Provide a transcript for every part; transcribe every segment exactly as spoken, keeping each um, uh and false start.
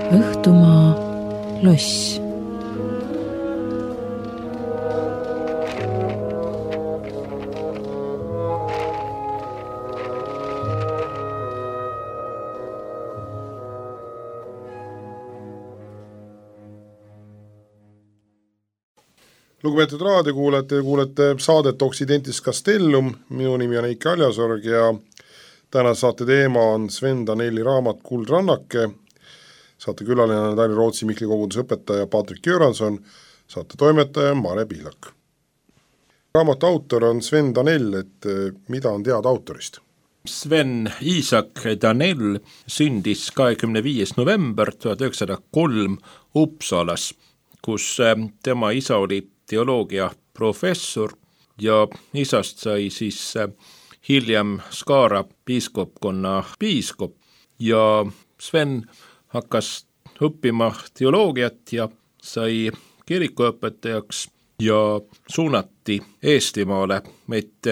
Õhtumaa loss. Lugupeetud raadiokuulajad, te kuulete saadet Occidentis Castellum, minu nimi on Eiki Aljasorg ja täna saate teema on Sven Danelli raamat Kuldrannake, saate külaline on Tali-Rootsi Mihkli koguduse õpetaja Patrik Göranson, saate toimetaja Mare Pihlak. Raamatu autor on Sven Danell, et mida on teada autorist? Sven Isak Danell sündis kahekümne viies november tuhat üheksasada kolm Uppsalas, kus tema isa oli teoloogia professor ja isast sai siis hiljem Skara piiskopkonna piiskop ja Sven hakkas õppima teoloogiat ja sai kirikuõpetajaks ja suunati Eestimaale, et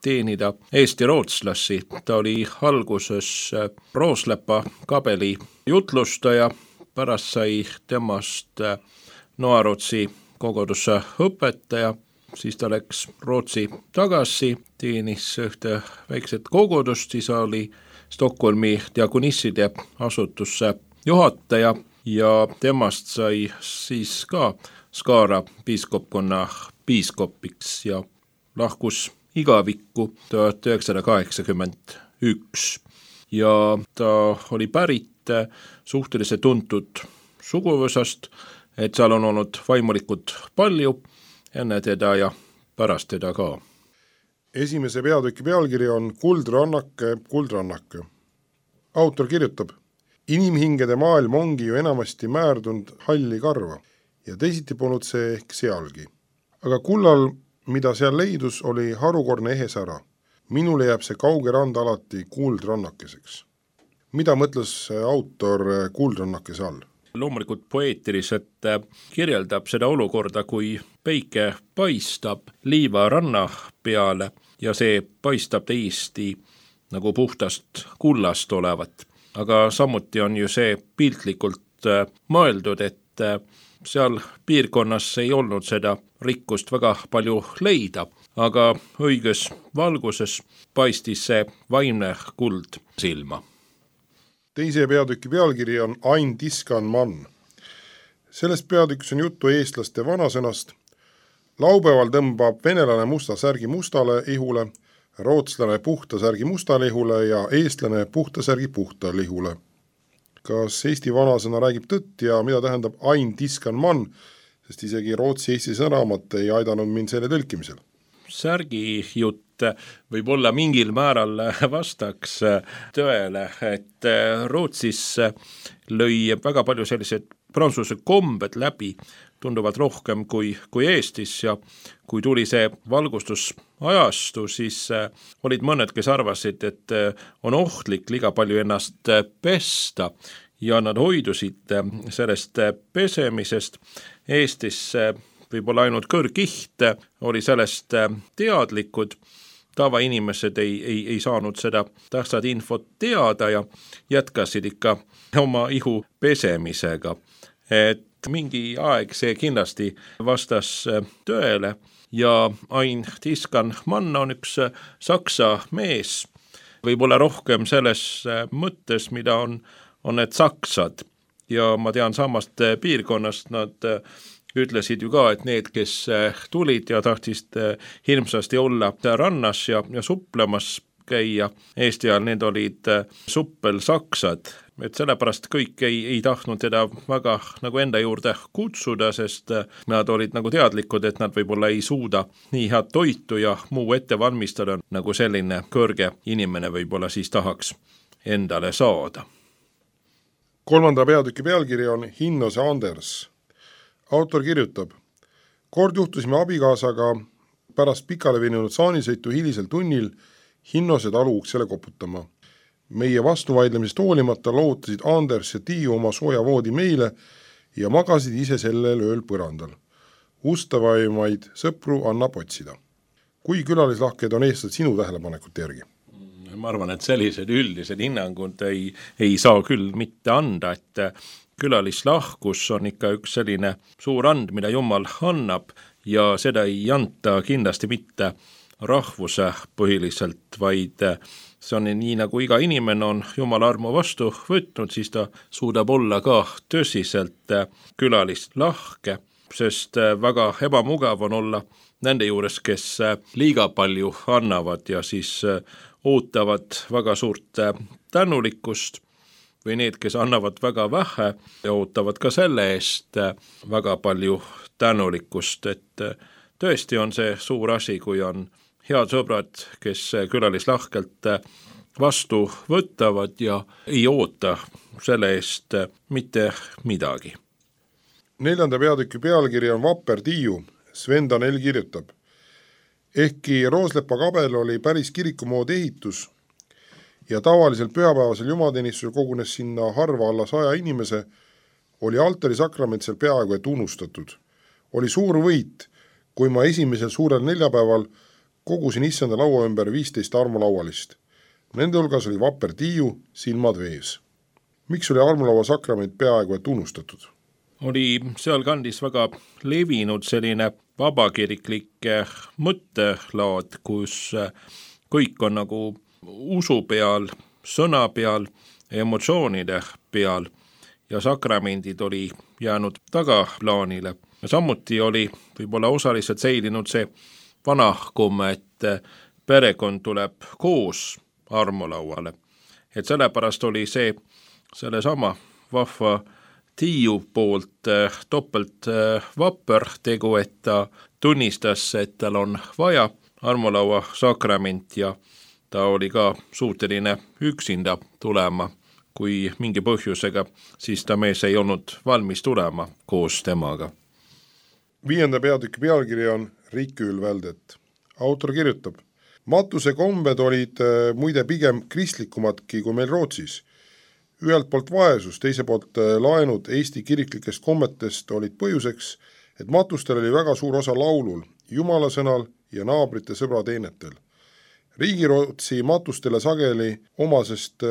teenida Eesti rootslasi. Ta oli alguses Rooslepa kabeli jutlustaja, pärast sai temast Noarootsi kogudusse õpetaja, siis ta läks Rootsi tagasi, teenis ühte väikset kogudust, siis oli Stockholmi diakonisside asutusse juhataja ja temast sai siis ka Skara piiskopkonna piiskopiks ja lahkus igavikku tuhat üheksasada kaheksakümmend üks. Ja ta oli pärit suhteliselt tuntud suguvõsast, et seal on olnud vaimulikud palju enne teda ja pärast teda ka. Esimese peatüki pealkiri on Kuldrannake, Kuldrannake. Autor kirjutab, inimhingede maailm ongi ju enamasti määrdunud halli karva ja teisiti polnud see ehk sealgi. Aga kullal, mida seal leidus, oli harukordne ehe sära. Minule jääb see kauge rand alati kuldrannakeseks. Mida mõtles autor kuldrannakese all? Loomulikult poeetiliselt kirjeldab seda olukorda, kui päike paistab liiva ranna peale ja see paistab täiesti nagu puhtast kullast olevat. Aga samuti on ju see piltlikult mõeldud, et seal piirkonnas ei olnud seda rikkust väga palju leida, aga õiges valguses paistis see vaimne kuld silma. Teise peatüki pealkiri on Ein Tiskan Mann. Sellest peatükis on juttu eestlaste vanasõnast. Laupäeval tõmbab venelane musta särgi mustale ihule, rootslane puhta särgi mustale ihule ja eestlane puhta särgi puhtale ihule. Kas Eesti vanasõna räägib tõtt ja mida tähendab Ein Tiskan Mann, sest isegi Rootsi-Eesti sõnaraamat ei aidanud mind selle tõlkimisel? Särgi jutt võib olla mingil määral vastaks tõele, et Rootsis lõi väga palju sellised prantsuse kombed läbi, tunduvad rohkem kui, kui Eestis ja kui tuli see valgustusajastu, siis olid mõned, kes arvasid, et on ohtlik liiga palju ennast pesta ja nad hoidusid sellest pesemisest. Eestis võib-olla ainult kõrgiht oli sellest teadlikud, tavainimesed ei, ei, ei saanud seda tähtsad infot teada ja jätkasid ikka oma ihu pesemisega. Et mingi aeg see kindlasti vastas tõele ja Ein Tiskan Mann on üks saksa mees, võib-olla rohkem selles mõttes, mida on, on need saksad ja ma tean samast piirkonnast nad ütlesid ju ka, et need, kes tulid ja tahtsid hirmsasti olla rannas ja, ja suplemas käia Eesti ajal, need olid suppelsaksad. Et sellepärast kõik ei, ei tahtnud teda väga nagu enda juurde kutsuda, sest nad olid nagu teadlikud, et nad võib-olla ei suuda nii head toitu ja muu ette valmistada, nagu selline kõrge inimene võib-olla siis tahaks endale saada. Kolmanda peatüki pealkiri on Hinnose Anders. Autor kirjutab, kord juhtusime abikaasaga pärast pikale veninud saanisõitu hilisel tunnil Hinnose talu uksele koputama. Meie vastuvaidlemisest hoolimata loodtasid Anders ja Tiiu oma sooja voodi meile ja magasid ise sellel ööl põrandal. Ustavaimaid sõpru annab otsida. Kui külalislahked on eestlased sinu tähelepanekute järgi? Ma arvan, et sellised üldised hinnangud ei, ei saa küll mitte anda, et külalislahkus on ikka üks selline suur and, mida Jumal annab ja seda ei anta kindlasti mitte rahvuse põhiliselt, vaid see on nii, nagu iga inimene on Jumala armu vastu võtnud, siis ta suudab olla ka tõsiselt külalislahke, sest väga ebamugav on olla nende juures, kes liiga palju annavad ja siis ootavad väga suurt tänulikkust või need, kes annavad väga vähe ja ootavad ka selle eest väga palju tänulikkust, et tõesti on see suur asi, kui on head sõbrad, kes külalislahkelt vastu võtavad ja ei oota selle eest mitte midagi. Neljanda peatüki pealkiri on Vapper Tiiu. Sven Danell kirjutab: ehkki Rooslepa kabel oli päris kirikumood ehitus ja tavalisel pühapäevasel jumalateenistusel kogunes sinna harva alla saja inimese, oli altari sakrament seal peaaegu et unustatud. Oli suur võit, kui ma esimesel suurel neljapäeval kogusin issanda laua ümber viisteist armulaualist. Nende hulgas oli Vapper Tiiu, silmad vees. Miks oli armulaua sakrament peaaegu et unustatud? Oli seal kandis väga levinud selline vabakiriklik mõttelaad, kus kõik on nagu usu peal, sõna peal, emotsioonide peal ja sakramendid oli jäänud tagaplaanile. Ja samuti oli võib-olla osaliselt säilinud see vana komme, et perekond tuleb koos armulauale. Et sellepärast oli see sellesama vahva Tiiu poolt topelt vapper tegu, et ta tunnistas, et tal on vaja armulaua sakrament ja ta oli ka suuteline üksinda tulema, kui mingi põhjusega, siis ta mees ei olnud valmis tulema koos temaga. Viienda peatüki pealkiri on Rikül väldet. Autor kirjutab: matuse kombed olid muide pigem kristlikumadki kui meil Rootsis. Ühelt poolt vaesus, teise poolt laenud Eesti kiriklikest kommetest olid põhjuseks, et matustel oli väga suur osa laulul, jumalasõnal ja naabrite sõbrateenetel. Riigirootsi matustele sageli omasest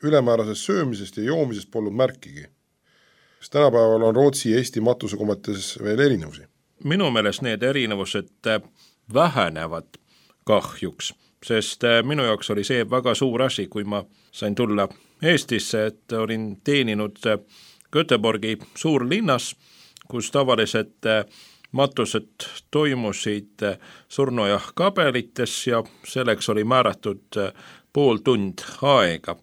ülemäärasest söömisest ja joomisest polnud märkigi. Sest tänapäeval on Rootsi ja Eesti matusekommetes veel erinevusi. Minu meelest need erinevused vähenevad kahjuks, sest minu jaoks oli see väga suur asi, kui ma sain tulla Eestisse, et olin teeninud Göteborgi suurlinnas, kus tavaliselt matused toimusid surnuaia kabelites ja selleks oli määratud pool tund aega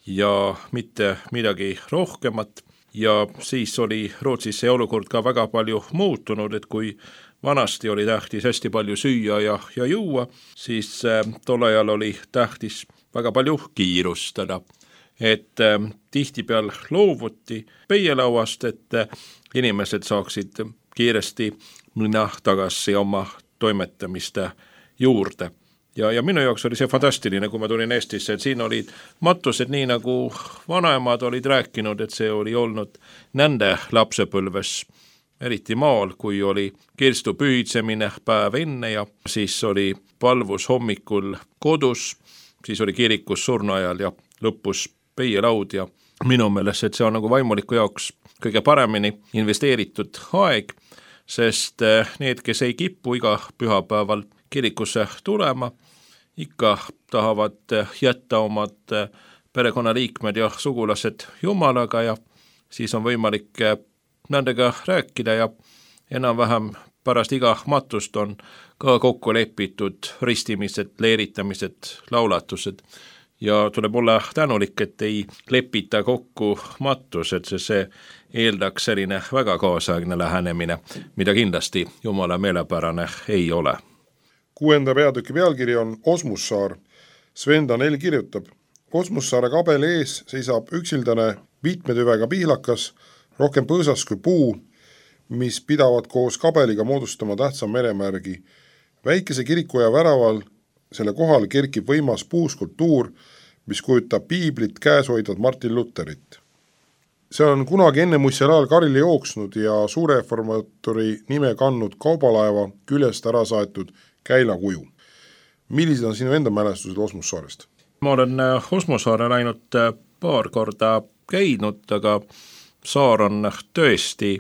ja mitte midagi rohkemat. Ja siis oli Rootsis see olukord ka väga palju muutunud, et kui vanasti oli tähtis hästi palju süüa ja, ja juua, siis tol ajal oli tähtis väga palju kiirustada. Et äh, tihtipeal loovuti peielauast, et äh, inimesed saaksid kiiresti minna tagasi oma toimetamiste juurde. Ja, ja minu jaoks oli see fantastiline, kui ma tulin Eestisse, et siin olid matused nii nagu vanaemad olid rääkinud, et see oli olnud nende lapsepõlves, eriti maal, kui oli kirstu pühitsemine päev enne ja siis oli palvus hommikul kodus, siis oli kirikus surnuajal ja lõpus peielaud ja minu meelest, et see on nagu vaimuliku jaoks kõige paremini investeeritud aeg, sest need, kes ei kipu iga pühapäeval kirikusse tulema, ikka tahavad jätta omad perekonnaliikmed ja sugulased Jumalaga ja siis on võimalik nendega rääkida ja enam-vähem pärast iga matust on ka kokku lepitud ristimised, leeritamised, laulatused ja tuleb olla tänulik, et ei lepita kokku matused, sest see eeldaks selline väga kaasaegne lähenemine, mida kindlasti Jumala meelepärane ei ole. Kuuenda peatüki pealkiri on Osmussaar. Sven Danell kirjutab: Osmussaare kabeli ees seisab üksildane vitmetüvega pihlakas, rohkem põõsas kui puu, mis pidavad koos kabeliga moodustama tähtsa meremärgi. Väikese kirikuaja väraval selle kohal kerkib võimas puuskultuur, mis kujutab piiblit käes hoidvat Martin Lutherit. See on kunagi enne muistsel ajal karile jooksnud ja suureformaatori nime kandnud kaubalaeva küljest ära saetud käilakuju. Millised on sinu enda mälestused Osmussaarest? Ma olen Osmussaare ainult paar korda käinud, aga saar on tõesti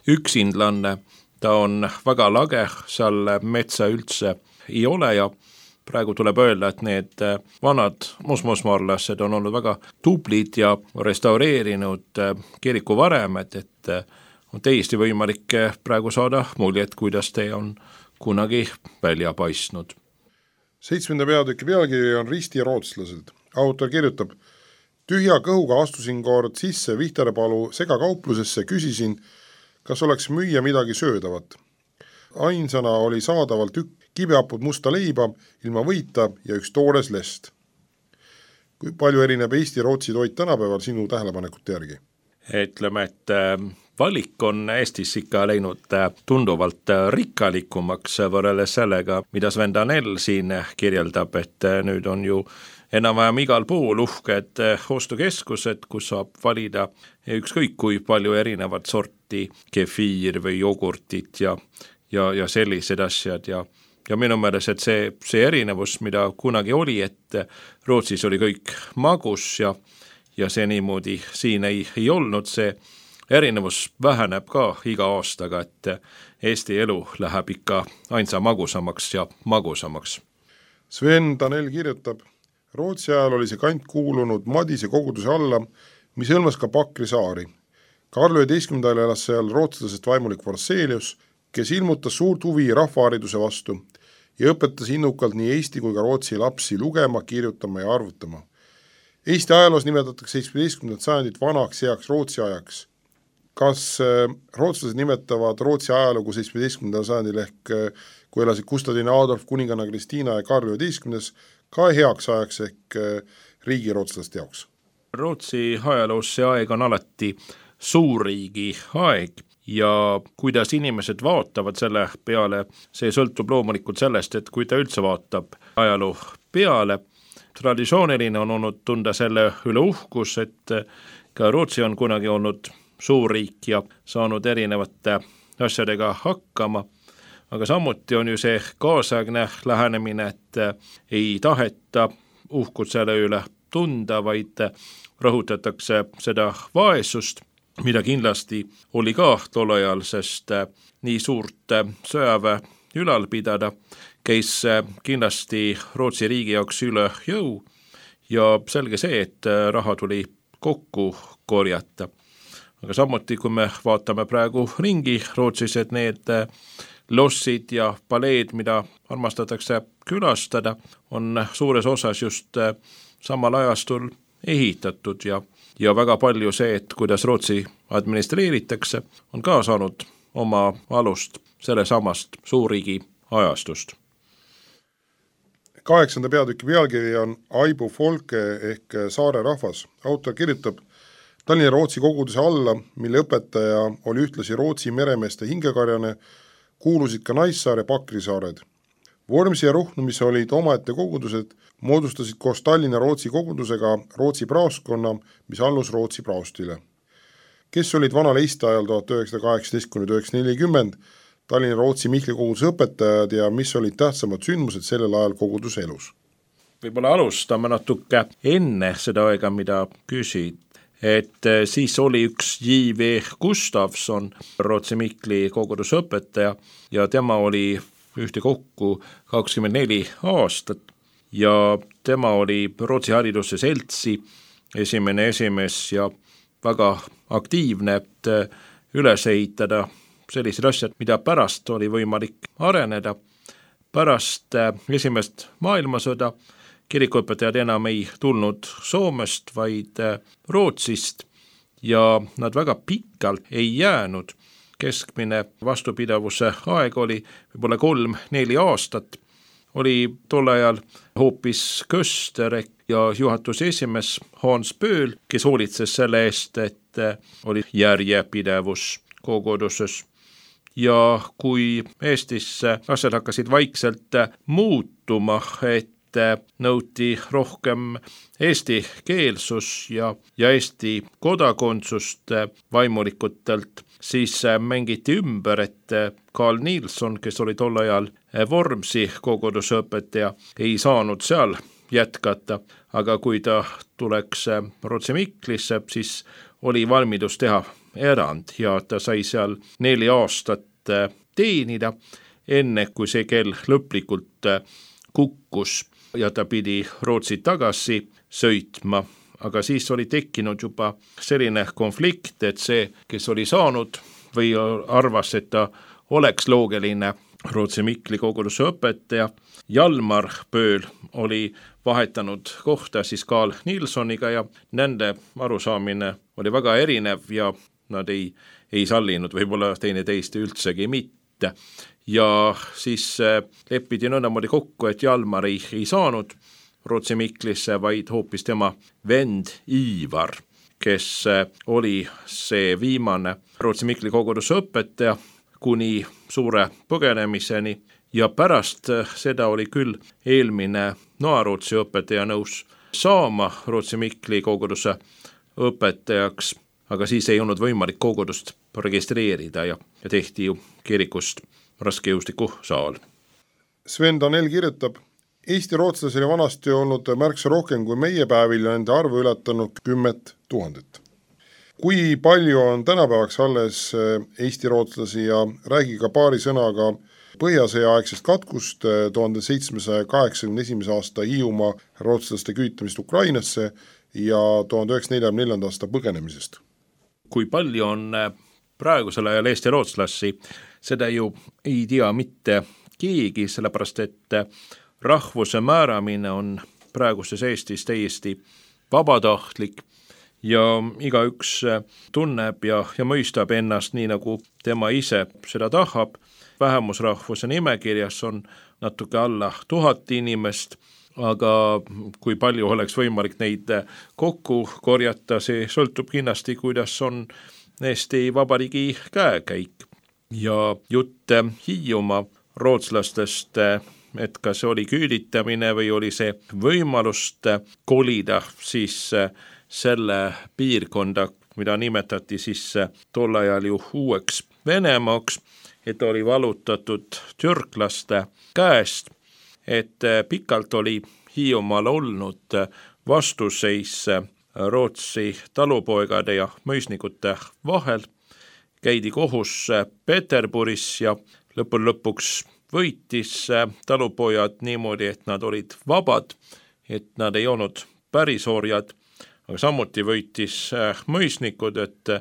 üksindlanne, ta on väga lage, seal metsa üldse ei ole ja praegu tuleb öelda, et need vanad musmusmaarlased on olnud väga tublid ja restaureerinud kirikuvaremed, et on täiesti võimalik praegu saada muljet, kuidas te on kunagi välja paistnud. Seitsmenda peatüki pealkiri on Risti rootslased. Autor kirjutab: tühja kõhuga astusin kord sisse Vihtarepalu segakauplusesse, küsisin, kas oleks müüa midagi söödavat. Ainsana oli saadaval tükk kibeapud musta leiba, ilma võita ja üks toores lest. Kui palju erineb Eesti-Rootsi toit tänapäeval sinu tähelepanekute järgi? Ütleme, et valik on Eestis ikka läinud tunduvalt rikkalikumaks võrreldes sellega, mida Sven Danell siin kirjeldab, et nüüd on ju enam-vähem igal pool uhked ostukeskused, kus saab valida ükskõik kui palju erinevat sorti kefiir või jogurtit ja, ja, ja sellised asjad ja Ja minu meelest, et see, see erinevus, mida kunagi oli, et Rootsis oli kõik magus ja, ja see niimoodi siin ei, ei olnud, see erinevus väheneb ka iga aastaga, et Eesti elu läheb ikka ainsa magusamaks ja magusamaks. Sven Danell kirjutab: Rootsi ajal oli see kant kuulunud Madise koguduse alla, mis hõlmas ka Pakri saari. Karl üheteistkümnendal elas seal rootslasest vaimulik Forselius, kes ilmutas suurt huvi rahvahariduse vastu ja õpetas innukalt nii Eesti kui ka Rootsi lapsi lugema, kirjutama ja arvutama. Eesti ajaloos nimetatakse seitsmeteistkümnendat sajandit vanaks heaks Rootsi ajaks. Kas rootslased nimetavad Rootsi ajalugu seitsmeteistkümnendal sajandil ehk kui elasid Gustavina Adolf, kuninganna Kristiina ja Karl üheteistkümnes ka heaks ajaks ehk riigi rootslaste jaoks? Rootsi ajaloos see aeg on alati suurriigi aeg ja kuidas inimesed vaatavad selle peale, see sõltub loomulikult sellest, et kui ta üldse vaatab ajaloo peale. Traditsiooniline on olnud tunda selle üle uhkus, et ka Rootsi on kunagi olnud suurriik ja saanud erinevate asjadega hakkama, aga samuti on ju see kaasaegne lähenemine, et ei taheta uhkut selle üle tunda, vaid rõhutatakse seda vaesust, mida kindlasti oli ka tol ajal, sest nii suurt sõjaväe ülal pidada käis kindlasti Rootsi riigi jaoks üle jõu ja selge see, et raha tuli kokku korjata. Aga samuti, kui me vaatame praegu ringi Rootsis, et need lossid ja paleed, mida armastatakse külastada, on suures osas just samal ajastul ehitatud ja Ja väga palju see, et kuidas Rootsi administreeritakse, on ka saanud oma alust selle samast suurriigi ajastust. Kaheksanda peatüki pealkiri on Aibu Folke ehk saare rahvas. Autor kirjutab: Tallinna Rootsi koguduse alla, mille õpetaja oli ühtlasi Rootsi meremeeste hingekarjane, kuulusid ka Naissaar ja Pakrisaared. Vormsi ja Ruhnu, mis olid omaette kogudused, moodustasid koos Tallinna Rootsi kogudusega Rootsi praoskonna, mis allus Rootsi praostile. Kes olid vanal Eesti ajal tuhat üheksasada kaheksateist kuni tuhat üheksasada nelikümmend Tallinna Rootsi Mihkli koguduse õpetajad ja mis olid tähtsamad sündmused sellel ajal koguduse elus? Võib-olla alustame natuke enne seda aega, mida küsid, et siis oli üks J V Gustavson, Rootsi Mihkli koguduse õpetaja ja tema oli ühte kokku kakskümmend neli aastat ja tema oli Rootsi hariduse seltsi esimene esimees ja väga aktiivne, et üles ehitada sellised asjad, mida pärast oli võimalik areneda. Pärast esimest maailmasõda kirikuõpetajad enam ei tulnud Soomest, vaid Rootsist ja nad väga pikalt ei jäänud. Keskmine vastupidavuse aeg oli võib-olla kolm-neli aastat, oli tol ajal hoopis Köster ja juhatuse esimees Hans Pööl, kes hoolitses selle eest, et oli järjepidevus koguduses. Ja kui Eestis asjad hakkasid vaikselt muutuma, et nõuti rohkem eesti keelsus ja, ja eesti kodakondsust vaimulikutelt, siis mängiti ümber, et Carl Nilsson, kes oli tol ajal Vormsi koguduse õpetaja, ei saanud seal jätkata, aga kui ta tuleks Rootsi Miklisse, siis oli valmidus teha erand ja ta sai seal neli aastat teenida, enne kui see kell lõplikult kukkus ja ta pidi Rootsi tagasi sõitma. Aga siis oli tekkinud juba selline konflikt, et see, kes oli saanud või arvas, et ta oleks loogiline Rootsi Mikli koguduse õpetaja, Jalmar Pööl oli vahetanud kohta siis Carl Nilssoniga ja nende arusaamine oli väga erinev ja nad ei, ei sallinud võib-olla teine teist üldsegi mitte. Ja siis leppidi nõndamoodi kokku, et Jalmar ei, ei saanud Rootsi Miklisse, vaid hoopis tema vend Ivar, kes oli see viimane Rootsi Mikli koguduse õpetaja kuni suure põgenemiseni ja pärast seda oli küll eelmine Noarootsi õpetaja nõus saama Rootsi Mikli koguduse õpetajaks, aga siis ei olnud võimalik kogudust registreerida ja, ja tehti ju kirikust raskejõustiku saal. Sven Danell kirjutab, Eesti rootslasi oli vanasti olnud märksa rohkem kui meie päevil ja nende arvu ületanud kümmet tuhandet. Kui palju on tänapäevaks alles Eesti rootslasi ja räägi ka paari sõnaga põhjasõjaaegsest katkust tuhande seitsmesaja kaheksakümne esimese aasta Hiiumaa rootslaste küütamist Ukrainasse ja tuhande üheksasaja neljakümne neljanda aasta põgenemisest. Kui palju on praegusel ajal Eesti rootslasi, seda ju ei tea mitte keegi, sellepärast et rahvuse määramine on praeguses Eestis täiesti vabatahtlik ja igaüks tunneb ja, ja mõistab ennast nii, nagu tema ise seda tahab. Vähemusrahvuse nimekirjas on natuke alla tuhat inimest, aga kui palju oleks võimalik neid kokku korjata, see sõltub kindlasti, kuidas on Eesti Vabariigi käekäik. Ja jutt Hiiumaa rootslastest, et kas see oli küüditamine või oli see võimalust kolida siis selle piirkonda, mida nimetati siis tol ajal ju uueks Venemaaks, et oli valutatud türklaste käest, et pikalt oli Hiiumaal olnud vastuseis Rootsi talupoegade ja mõisnikute vahel, käidi kohus Peterburis ja lõpul lõpuks võitis talupojad niimoodi, et nad olid vabad, et nad ei olnud päris orjad, aga samuti võitis mõisnikud, et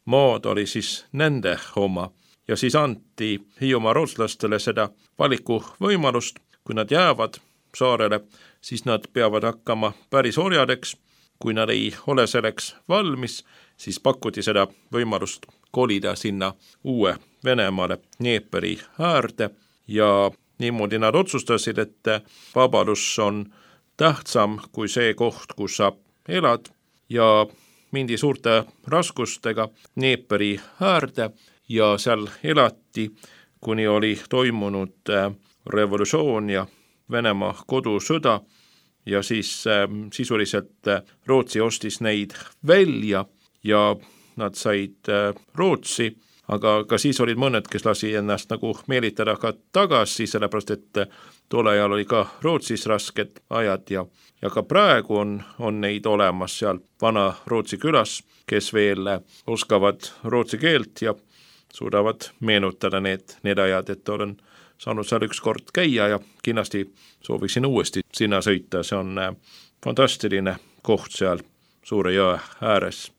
maad oli siis nende oma. Ja siis anti Hiiumaa rootslastele seda valiku võimalust, kui nad jäävad saarele, siis nad peavad hakkama päris orjadeks, kui nad ei ole selleks valmis, siis pakuti seda võimalust kolida sinna uue Venemaale Dnieperi äärde ja niimoodi nad otsustasid, et vabadus on tähtsam kui see koht, kus sa elad ja mindi suurte raskustega Dnieperi äärde ja seal elati, kuni oli toimunud revolutsioon ja Venemaa kodusõda ja siis sisuliselt Rootsi ostis neid välja ja nad said Rootsi, aga ka siis olid mõned, kes lasi ennast nagu meelitada ka tagasi, sellepärast et tol ajal oli ka Rootsis rasked ajad ja, ja ka praegu on, on neid olemas seal vana Rootsi külas, kes veel oskavad rootsi keelt ja suudavad meenutada need, need ajad, et olen saanud seal üks kord käia ja kindlasti sooviksin uuesti sinna sõita, see on fantastiline koht seal suure jõe ääres.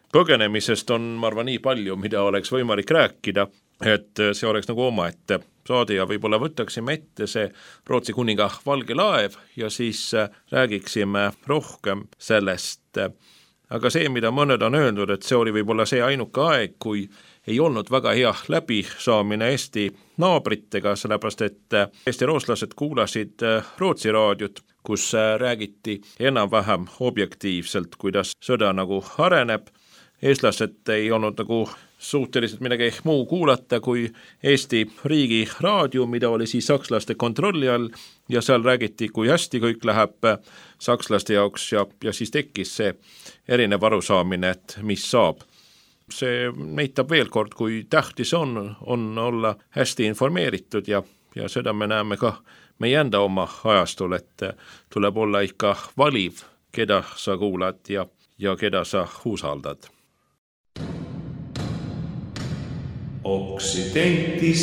Põgenemisest on, ma arvan, nii palju, mida oleks võimalik rääkida, et see oleks nagu omaette saade ja võib-olla võtaksime ette see Rootsi kuninga valge laev ja siis räägiksime rohkem sellest. Aga see, mida mõned on öelnud, et see oli võib-olla see ainuke aeg, kui ei olnud väga hea läbisaamine Eesti naabritega, sellepärast et Eesti rootslased kuulasid Rootsi raadiot, kus räägiti enam-vähem objektiivselt, kuidas sõda nagu areneb. Eestlased ei olnud nagu suhteliselt midagi muu kuulata kui Eesti riigi raadio, mida oli siis sakslaste kontrolli all ja seal räägiti, kui hästi kõik läheb sakslaste jaoks ja, ja siis tekkis see erinev arusaamine, et mis saab. See näitab veel kord, kui tähtis on, on olla hästi informeeritud ja, ja seda me näeme ka meie enda oma ajastul, et tuleb olla ikka valiv, keda sa kuulad ja, ja keda sa usaldad. Occidentis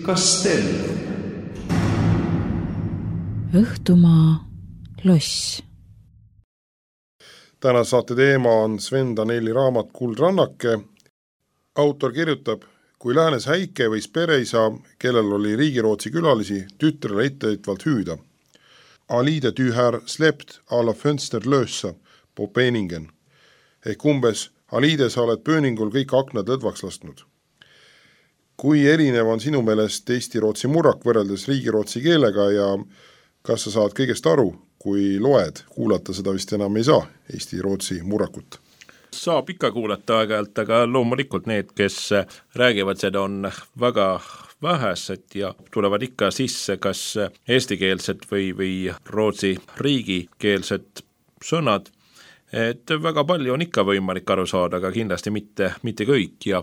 Castellum. Õhtumaa loss. Täna saate teema on Sven Danelli raamat Kuldrannake. Autor kirjutab, kui läänes Häike võis pereisa, kellel oli Riigirootsi külalisi, tütrele ettevõtvalt hüüda. Alide tühär slept alla fönster löössa på Peningen. Ehk umbes, Alide, sa oled pööningul kõik aknad lõdvaks lasknud. Kui erinev on sinu meelest Eesti-Rootsi murrak võrreldes Riigirootsi keelega ja kas sa saad kõigest aru, kui loed, kuulata seda vist enam ei saa, Eesti-Rootsi murrakut? Saab ikka kuulata aeg-ajalt, aga loomulikult need, kes räägivad seda, on väga vähesed ja tulevad ikka sisse kas eestikeelsed või, või Rootsi riigikeelsed sõnad. Et väga palju on ikka võimalik aru saada, aga kindlasti mitte, mitte kõik ja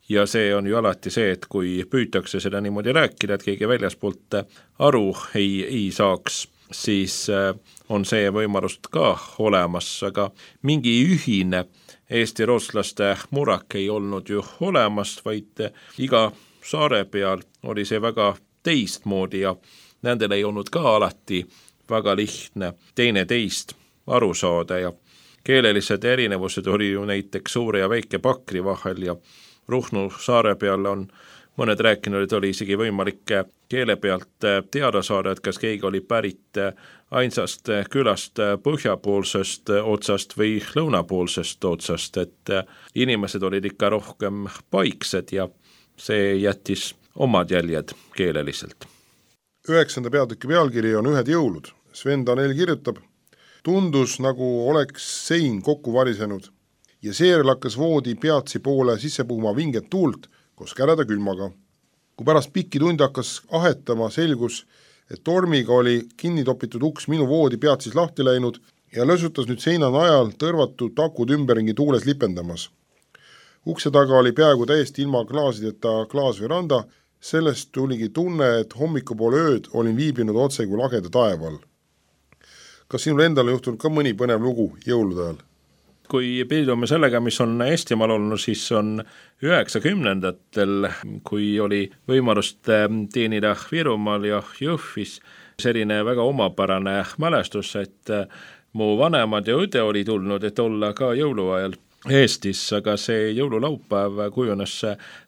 Ja see on ju alati see, et kui püütakse seda niimoodi rääkida, et keegi väljaspoolt aru ei, ei saaks, siis on see võimalust ka olemas, aga mingi ühine Eesti rootslaste murrak ei olnud ju olemas, vaid iga saare peal oli see väga teistmoodi ja nendel ei olnud ka alati väga lihtne teine teist aru saada ja keelelised erinevused oli ju näiteks suure ja väike Pakri vahel ja Ruhnu saare peal on mõned rääkinud, et oli isegi võimalik keele pealt teada saada, et kas keegi oli pärit ainsast külast põhjapoolsest otsast või lõunapoolsest otsast, et inimesed olid ikka rohkem paiksed ja see jättis omad jäljed keeleliselt. Üheksanda peatüki pealkiri on Ühed jõulud. Sven Danell kirjutab, tundus nagu oleks sein kokku varisenud ja seejärel hakkas voodi peatsi poole sisse puhuma vinget tuult koos käreda külmaga. Kui pärast pikki tunde hakkas ahetama, selgus, et tormiga oli kinni topitud uks minu voodi peatsis lahti läinud ja lösutas nüüd seina najal tõrvatud takud ümberringi tuules lipendamas. Ukse taga oli peaaegu täiesti ilma klaasideta klaasveranda, sellest tuligi tunne, et hommikupoole ööd olin viibinud otse kui lageda taeval. Kas sinul endal on juhtunud ka mõni põnev lugu jõulude ajal? Kui pildume sellega, mis on Eestimaal olnud, siis on üheksakümnendatel, kui oli võimalust teenida Virumaal ja Jõhvis, selline väga omapärane mälestus, et mu vanemad ja õde oli tulnud, et olla ka jõuluajal Eestis, aga see jõululaupäev kujunes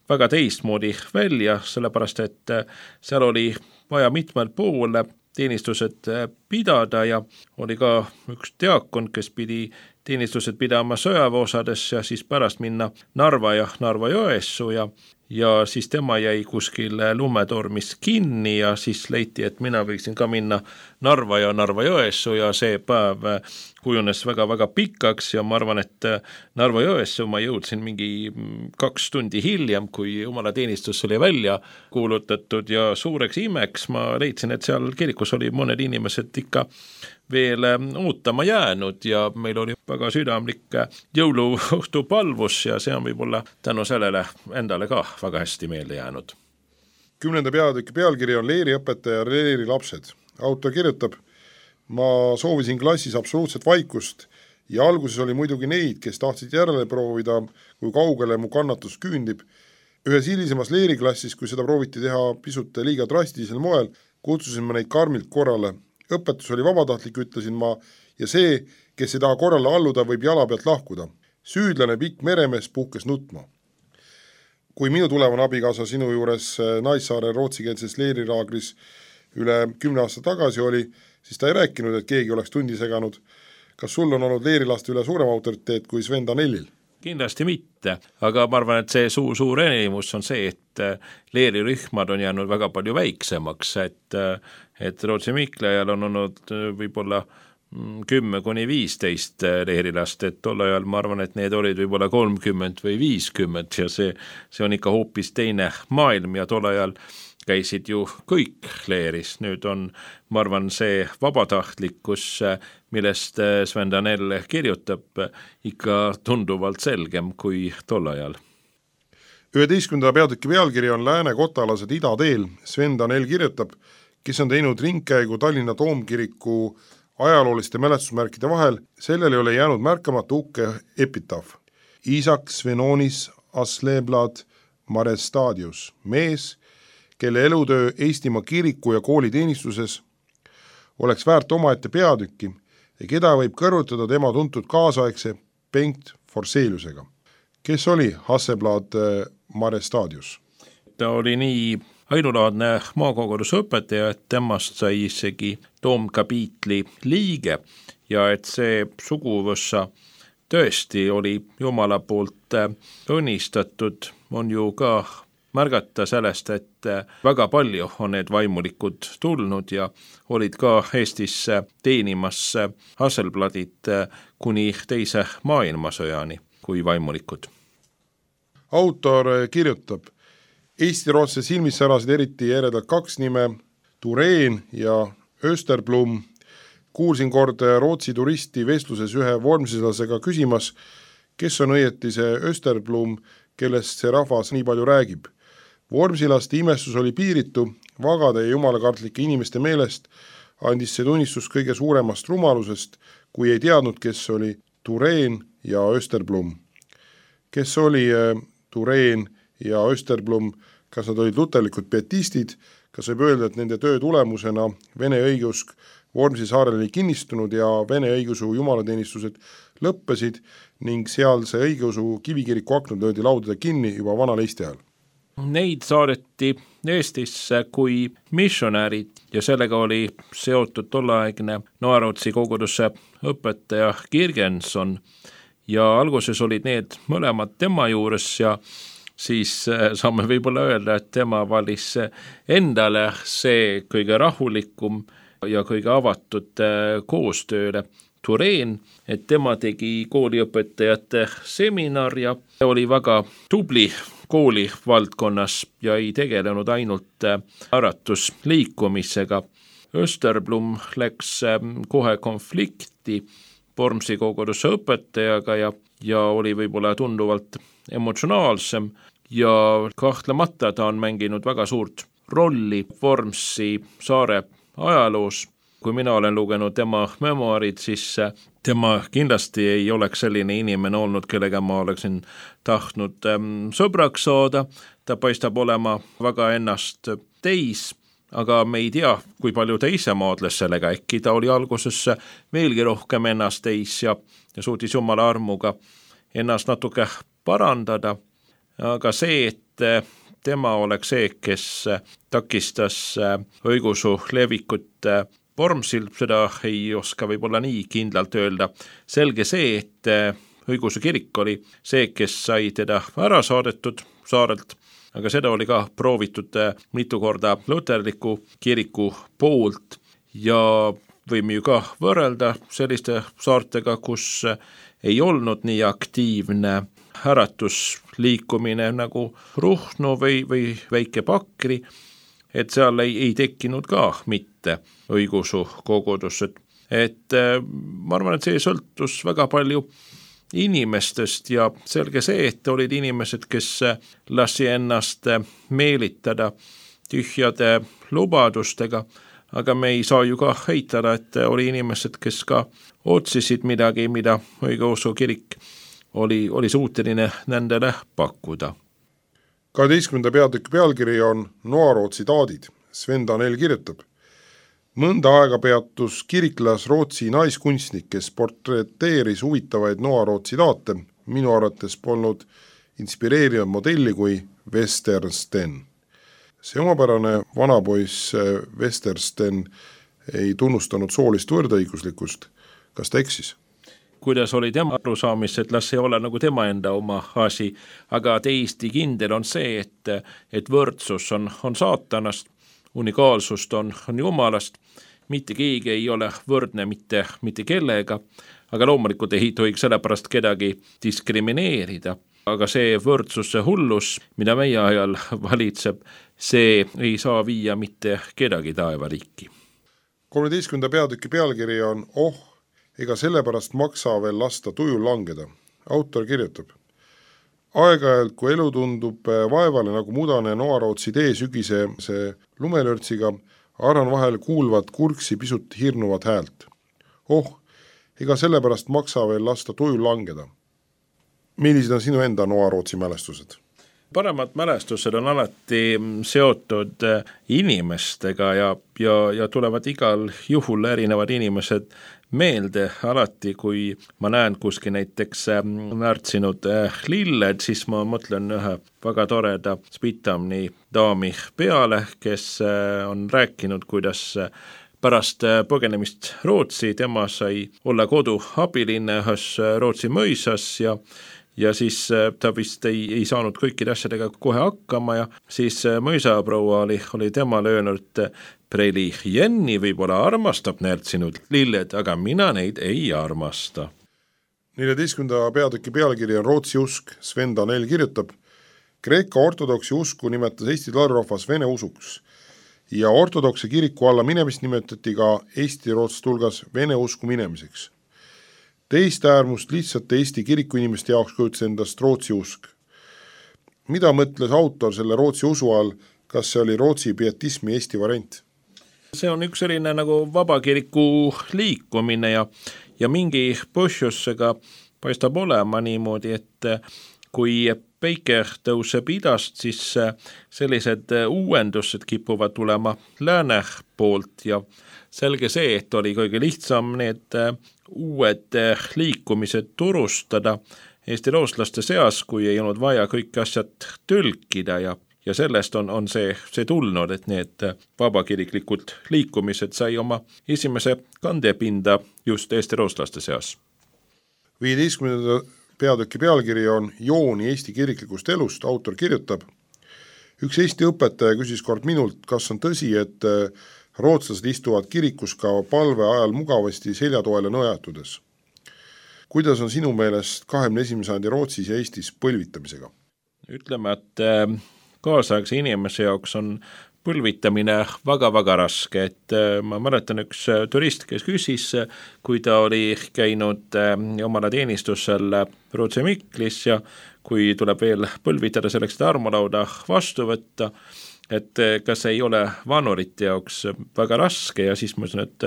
väga teistmoodi välja, sellepärast et seal oli vaja mitmel pool teenistused pidada ja oli ka üks diakon, kes pidi teenistused pidama sõjaväeosades ja siis pärast minna Narva ja Narva Jõessu ja, ja siis tema jäi kuskil lumetormis kinni ja siis leiti, et mina võiksin ka minna Narva ja Narva Jõessu ja see päev kujunes väga-väga pikaks ja ma arvan, et Narva Jõessu ma jõudsin mingi kaks tundi hiljem, kui jumalateenistus oli välja kuulutatud ja suureks imeks ma leidsin, et seal kirikus oli mõned inimesed ikka veel ootama jäänud ja meil oli väga südamlik jõuluõhtu palvus ja see on võib-olla tänu sellele endale ka väga hästi meelde jäänud. Kümnenda peatüki pealkiri on Leeriõpetaja ja Leeri lapsed. Autor kirjutab, ma soovisin klassis absoluutset vaikust ja alguses oli muidugi neid, kes tahtsid järele proovida, kui kaugele mu kannatus küündib. Ühes hilisemas Leeri klassis, kui seda prooviti teha pisut liiga drastilisel moel, kutsusin ma neid karmilt korrale. Õpetus oli vabatahtlik, ütlesin ma, ja see, kes ei taha korrale alluda, võib jala pealt lahkuda. Süüdlane pikk meremees puhkes nutma. Kui minu tulevane abikaasa sinu juures Naissaare rootsikeelses leeriraagris üle kümne aasta tagasi oli, siis ta ei rääkinud, et keegi oleks tundi seganud. Kas sul on olnud leerilaste üle suurem autoriteet kui Sven Danellil? Kindlasti mitte, aga ma arvan, et see suur, suur enimus on see, et leerirühmad on jäänud väga palju väiksemaks, et, et Rootsi Miklajal on olnud võib-olla kümme kuni viisteist leerilast, et tol ajal ma arvan, et need olid võib-olla kolmkümmend või viiskümmend ja see, see on ikka hoopis teine maailm ja tol ajal käisid ju kõik leeris, nüüd on, ma arvan, see vabatahtlikkus, millest Sven Danell kirjutab, ikka tunduvalt selgem kui tol ajal. üheteistkümnenda peatüki pealkiri on Lääne kotalased idateel. Sven Danell kirjutab, kes on teinud ringkäigu Tallinna Toomkiriku ajalooliste mälestusmärkide vahel, sellel ei ole jäänud märkamata ukke epitaaf. Isak Svenonis Asleblad Marestadius, mees, kelle elutöö Eestimaa kiriku ja kooli teenistuses oleks väärt omaette peatükki ja keda võib kõrvutada tema tuntud kaasaegse Bengt Forseliusega. Kes oli Hasselblad Marestadius? Ta oli nii ainulaadne maakoguduse õpetaja, et temast sai isegi toomkapiitli liige ja et see suguvõssa tõesti oli Jumala poolt õnnistatud, on ju ka märgata sellest, et väga palju on need vaimulikud tulnud ja olid ka Eestisse teenimas Hasselbladid kuni teise maailmasõjani kui vaimulikud. Autor kirjutab, Eesti-rootse silmis särasid eriti eredalt kaks nime, Tureen ja Österblom. Kuulsin kord Rootsi turisti vestluses ühe vormsilasega küsimas, kes on õieti see Österblom, kellest see rahvas nii palju räägib. Vormsilaste imestus oli piiritu, vagade ja jumalakartlike inimeste meelest andis see tunnistus kõige suuremast rumalusest, kui ei teadnud, kes oli Tureen ja Österblom. Kes oli Tureen ja Österblom, kas nad olid luterlikud pietistid, kas võib öelda, et nende töö tulemusena Vene õigeusk Vormsi saarel oli kinnistunud ja Vene õigeusu jumalateenistused lõppesid ning sealse õigeusu kivikiriku aknud löödi laudade kinni juba vanal Eesti ajal. Neid saadeti Eestisse kui missionärid ja sellega oli seotud tolleaegne Noarootsi koguduse õpetaja Kirgenson ja alguses olid need mõlemad tema juures ja siis saame võib-olla öelda, et tema valis endale see kõige rahulikum ja kõige avatud koostööle Tureen, et tema tegi kooliõpetajate seminar ja oli väga tubli kooli valdkonnas ja ei tegelenud ainult äratusliikumisega. Österblom läks kohe konflikti Vormsi koguduse õpetajaga ja, ja oli võib-olla tunduvalt emotsionaalsem ja kahtlemata ta on mänginud väga suurt rolli Vormsi saare ajaloos. Kui mina olen lugenud tema memoarid, siis tema kindlasti ei oleks selline inimene olnud, kellega ma oleksin tahtnud sõbraks saada. Ta paistab olema väga ennast teis, aga me ei tea, kui palju ta ise maadles sellega. Äkki ta oli alguses veelgi rohkem ennast teis ja, ja suutis Jumala armuga ennast natuke parandada. Aga see, et tema oleks see, kes takistas õigusu levikut Vormsil, seda ei oska võib-olla nii kindlalt öelda. Selge see, et õigeusu kirik oli see, kes sai teda ära saadetud saarelt, aga seda oli ka proovitud mitu korda luterliku kiriku poolt ja võime ju ka võrrelda selliste saartega, kus ei olnud nii aktiivne äratusliikumine nagu Ruhnu või, või Väike Pakri, et seal ei, ei tekkinud ka mitte õigeusu kogudus. Et, et ma arvan, et see sõltus väga palju inimestest ja selge see, et olid inimesed, kes lasi ennast meelitada tühjade lubadustega, aga me ei saa ju ka heitada, et oli inimesed, kes ka otsisid midagi, mida õigeusu kirik oli, oli suuteline nendele pakkuda. kaheteistkümnenda peatüki pealkiri on Noarootsi taadid. Sven Danel kirjutab. Mõnda aega peatus kiriklas Rootsi naiskunstnik, kes portreteeris huvitavaid Noarootsi taate. Minu arvates polnud inspireeriv modelli kui Westersten. See omapärane vanapoiss Westersten ei tunnustanud soolist võrdõiguslikkust. Kas ta eksis? Kuidas oli tema arusaamis, et las ei ole nagu tema enda oma asi, aga täiesti kindel on see, et, et võrdsus on, on saatanast, unikaalsust on, on Jumalast, mitte keegi ei ole võrdne mitte, mitte kellega, aga loomulikult ei tohiks sellepärast kedagi diskrimineerida, aga see võrdsuse hullus, mida meie ajal valitseb, see ei saa viia mitte kedagi taevariiki. kolmeteistkümnenda peatüki pealkiri on Oh, ega sellepärast maksa veel lasta tujul langeda. Autor kirjutab. Aeg-ajalt, kui elu tundub vaevale nagu mudane Noarootsi tee sügise see lumelörtsiga, arvan vahel kuulvat kurksi pisut hirnuvat häält. Oh, ega sellepärast maksa veel lasta tujul langeda. Millised on sinu enda Noarootsi mälestused? paremad mälestused on alati seotud inimestega ja, ja, ja tulevad igal juhul erinevad inimesed meelde. Alati, kui ma näen kuskil näiteks närtsinud lilled, siis ma mõtlen ühe väga toreda Spitamni daami peale, kes on rääkinud, kuidas pärast põgenemist Rootsi tema sai olla kodu abiline ühes Rootsi mõisas ja ja siis ta vist ei, ei saanud kõikide asjadega kohe hakkama ja siis mõisaproua oli, oli temale öelnud, Preili Jenni võib-olla armastab närtsinud lilled, aga mina neid ei armasta. neljateistkümnenda peatüki pealkiri on Rootsi usk. Sven Danell kirjutab, Kreeka ortodoksi usku nimetas Eesti tladrahvas vene usuks ja ortodokse kiriku alla minemist nimetati ka Eesti rootslaste hulgas vene usku minemiseks. Teist äärmust lihtsalt Eesti kiriku inimeste jaoks kujutas endast Rootsi usk. Mida mõtles autor selle Rootsi usu all, kas see oli Rootsi pietismi Eesti variant? See on üks selline nagu vabakiriku liikumine ja, ja mingi põhjusega paistab olema niimoodi, et kui päike tõuseb idast, siis sellised uuendused kipuvad tulema lääne poolt ja selge see, et oli kõige lihtsam need uued liikumised turustada Eesti rootslaste seas, kui ei olnud vaja kõik asjad tõlkida ja ja sellest on, on see, see tulnud, et need vabakiriklikud liikumised sai oma esimese kandepinda just Eesti rootslaste seas. viieteistkümnenda peatüki pealkiri on Jooni Eesti kiriklikust elust. Autor kirjutab, üks Eesti õpetaja küsis kord minult, kas on tõsi, et rootslased istuvad kirikus ka palve ajal mugavasti seljatoele nõjatudes. Kuidas on sinu meelest kahekümne esimese sajandi Rootsis ja Eestis põlvitamisega? Ütleme, et kaasaegse inimese jaoks on põlvitamine väga-väga raske, et ma mäletan üks turist, kes küsis, kui ta oli käinud omale teenistusel Rootsi Miklis ja kui tuleb veel põlvitada selleks, et armulauda vastu võtta, et kas ei ole vanurite jaoks väga raske ja siis ma ütlen, et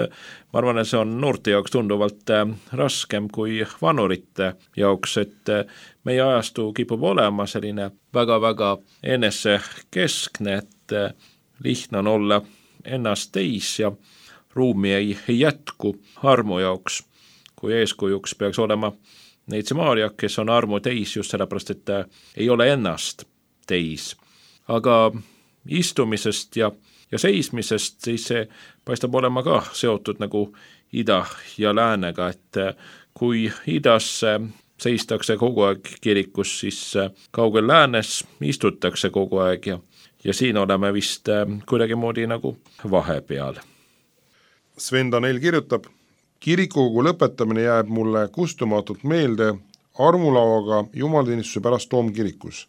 ma arvan, et see on noorte jaoks tunduvalt raskem kui vanurite jaoks, et meie ajastu kipub olema selline väga-väga enesekeskne, et lihtne on olla ennast täis ja ruumi ei, ei jätku armu jaoks, kui eeskujuks peaks olema Neitsi Maarja, kes on armu täis just sellepärast, et ei ole ennast täis. Aga istumisest ja, ja seismisest, siis see paistab olema ka seotud nagu ida ja läänega, et kui idas seistakse kogu aeg kirikus, siis kaugel läänes istutakse kogu aeg ja, ja siin oleme vist kuidagi moodi nagu vahepeal. Sven Danell kirjutab, kirikukogu lõpetamine jääb mulle kustumatult meelde armulauaga jumalateenistuse pärast Toomkirikus.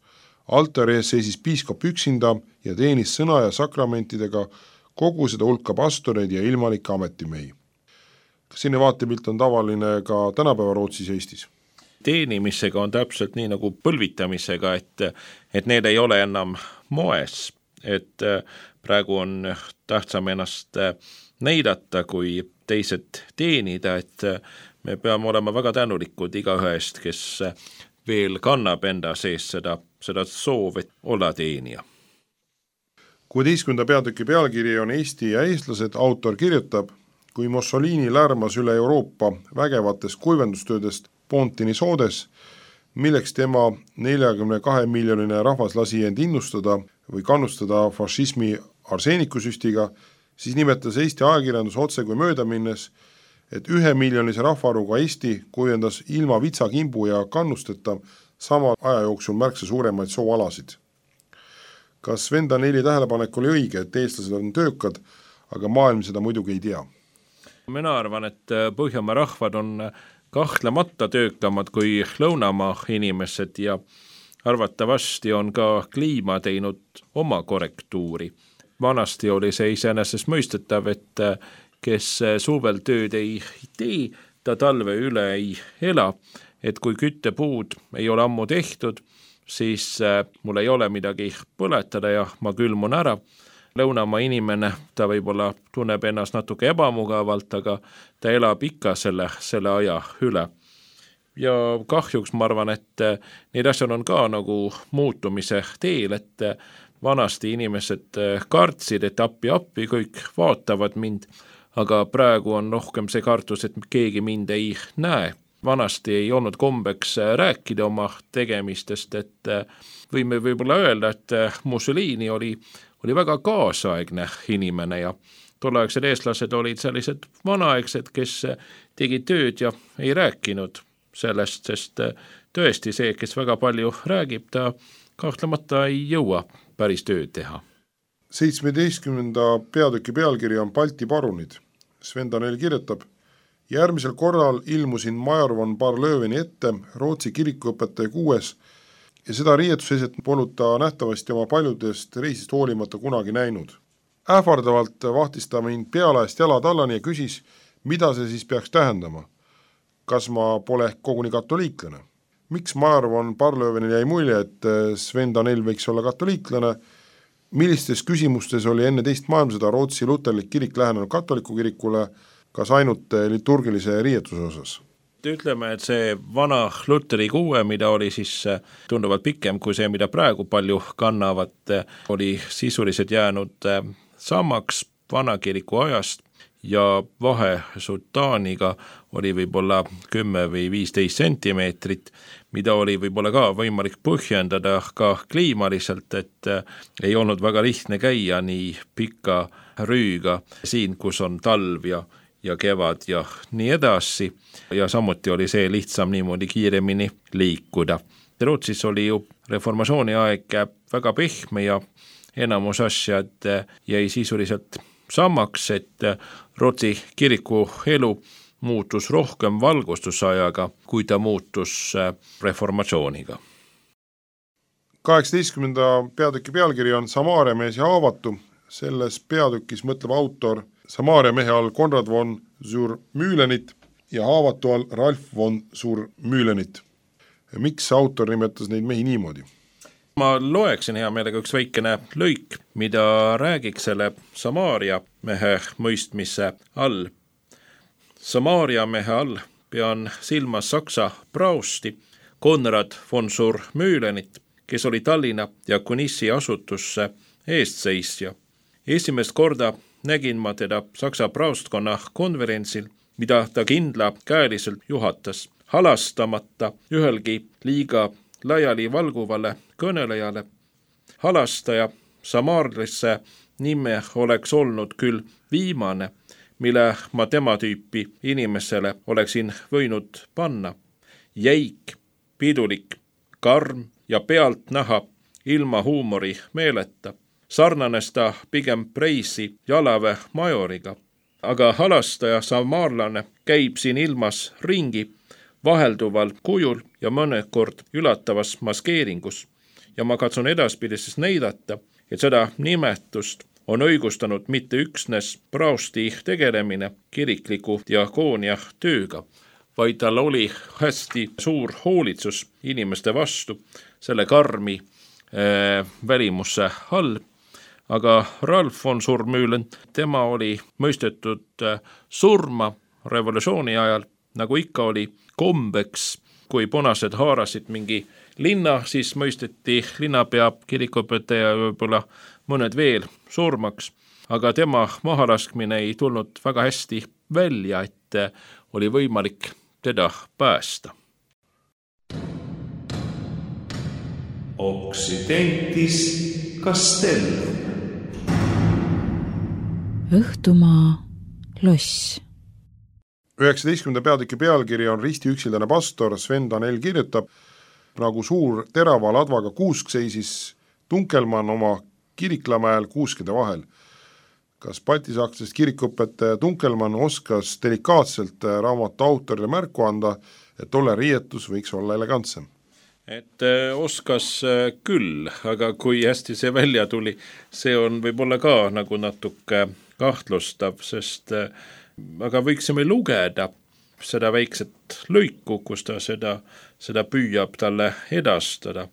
Altari ees seisis piiskop üksinda ja teenis sõna ja sakramentidega kogu seda hulka pastoreid ja ilmalikke ametimehi. Kas selline vaatepilt on tavaline ka tänapäeva Rootsis ja Eestis? Teenimisega on täpselt nii nagu põlvitamisega, et, et need ei ole enam moes, et praegu on tähtsam ennast näidata kui teised teenida, et me peame olema väga tänulikud igaühe eest, kes veel kannab enda sees seda, seda soov, et olla teenija. kuueteistkümnenda peatüki pealkiri on Eesti ja eestlased. Autor kirjutab, kui Mussolini lärmas üle Euroopa vägevatest kuivendustöödest Pontini soodes, milleks tema neljakümne kahe miljonine rahvas lasi end innustada või kannustada fašismi arseenikusüstiga, siis nimetas Eesti ajakirjandus otse kui mööda minnes, et ühe miljonise rahvaarvuga Eesti kuivendas ilma vitsakimbu ja kannusteta sama aja jooksul märksa suuremaid sooalasid. Kas Sven Danelli tähelepanek oli õige, et eestlased on töökad, aga maailm seda muidugi ei tea? Mina arvan, et Põhjamaa rahvad on kahtlemata töökamad kui lõunamaa inimesed ja arvatavasti on ka kliima teinud oma korrektuuri. Vanasti oli see iseenesest mõistetav, et kes suvel tööd ei tee, ta talve üle ei ela, et kui küttepuud ei ole ammu tehtud, siis mul ei ole midagi põletada ja ma külmun ära. Lõunamaa inimene, ta võib-olla tunneb ennast natuke ebamugavalt, aga ta elab ikka selle, selle aja üle. ja kahjuks ma arvan, et need asjad on ka nagu muutumise teel, et vanasti inimesed kartsid, et appi appi kõik vaatavad mind, aga praegu on rohkem see kartus, et keegi mind ei näe. Vanasti ei olnud kombeks rääkida oma tegemistest, et võime võib-olla öelda, et Mussolini oli, oli väga kaasaegne inimene ja tolleaegsed eestlased olid sellised vanaaegsed, kes tegid tööd ja ei rääkinud sellest, sest tõesti see, kes väga palju räägib, ta kahtlemata ei jõua päris tööd teha. seitsmeteistkümnenda peatüki pealkiri on Balti parunid. Sven Danell kirjutab: järgmisel korral ilmusin major von Barlöveni ette Rootsi kirikuõpetaja kuues ja seda riietuseset polnud ta nähtavasti oma paljudest reisist hoolimata kunagi näinud. Ähvardavalt vahtis ta mind pealaest jalad allani ja küsis, mida see siis peaks tähendama. Kas ma pole ehk koguni katoliiklane? Miks major von Barlövenil jäi mulje, et Sven Danell võiks olla katoliiklane? Millistes küsimustes oli enne teist maailmasõda Rootsi luterlik kirik lähenenud katoliku kirikule, kas ainult liturgilise riietuse osas? Ütleme, et see vana Luteri kuue, mida oli siis tunduvalt pikem kui see, mida praegu palju kannavad, oli sisuliselt jäänud samaks vana kiriku ajast ja vahe sultaaniga oli võib-olla kümme või viisteist sentimeetrit, mida oli võib-olla ka võimalik põhjendada ka kliimaliselt, et ei olnud väga lihtne käia nii pika rüüga siin, kus on talv ja ja kevad ja nii edasi ja samuti oli see lihtsam niimoodi kiiremini liikuda. Rootsis oli ju reformatsiooni aeg väga pehme ja enamus asjad jäi sisuliselt samaks, et Rootsi kiriku elu muutus rohkem valgustusajaga, kui ta muutus reformatsiooniga. kaheksateistkümnenda peatüki pealkiri on Samaaria mees ja haavatu. Selles peatükis mõtleb autor Samaaria mehe all Konrad von Zur-Mühlenit ja haavatu all Ralf von Zur-Mühlenit. Miks autor nimetas neid mehi niimoodi? Ma loeksin hea meelega üks väikene lõik, mida räägiks selle Samaaria mehe mõistmise all. Samaaria mehe all pean silmas Saksa prausti Konrad von Zur-Mühlenit, kes oli Tallinna ja Kunissi asutusse eestseisja. Esimest korda nägin ma teda Saksa praustkonna konverentsil, mida ta kindla käeliselt juhatas, halastamata ühelgi liiga laiali valguvale kõnelejale. Halastaja Samaarlisse nime oleks olnud küll viimane, mille ma tema tüüpi inimesele oleksin võinud panna. Jäik, pidulik, karm ja pealt näha ilma huumori meeleta. Sarnanes ta pigem Preisi Jalave majoriga, aga halastaja samaarlane käib siin ilmas ringi vahelduval kujul ja mõnekord ülatavas maskeeringus ja ma katsun edaspidises näidata, et seda nimetust on õigustanud mitte üksnes prausti tegelemine kirikliku diakoonia tööga, vaid tal oli hästi suur hoolitsus inimeste vastu selle karmi äh, välimusse all. Aga Ralf von Zur-Mühlen, tema oli mõistetud surma revolutsiooni ajal, nagu ikka oli kombeks, kui punased haarasid mingi linna, siis mõisteti linnapea, kirikuõpetaja ja võib-olla mõned veel surmaks, aga tema mahalaskmine ei tulnud väga hästi välja, et oli võimalik teda päästa. Occidentis Castellum. Õhtumaa loss. üheksateistkümnenda peatüki pealkiri on Ristiüksildane pastor. Sven Danell kirjutab, nagu suur terava ladvaga kuusk seisis Tunkelmann oma Kiriklamäel kuuskede vahel. Kas baltisaaksest kirikuõpetaja Tunkelmann oskas delikaatselt raamatu autorile märku anda, et tolle riietus võiks olla elegantsem? Et oskas küll, aga kui hästi see välja tuli, see on võib-olla ka nagu natuke kahtlustav, sest aga võiksime lugeda seda väikset lõiku, kus ta seda, seda püüab talle edastada.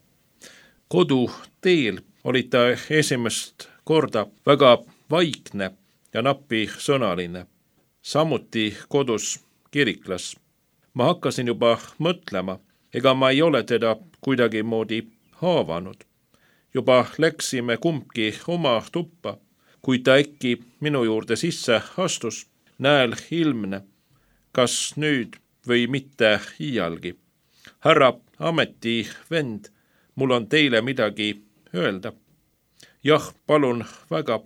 Koduteel oli ta esimest korda väga vaikne ja napi sõnaline. Samuti kodus kiriklas. Ma hakkasin juba mõtlema, ega ma ei ole teda kuidagi moodi haavanud. Juba läksime kumbki oma tuppa, kui ta äkki minu juurde sisse astus, näel ilmne, kas nüüd või mitte iialgi. Härra ametivend, mul on teile midagi öelda. Jah, palun väga.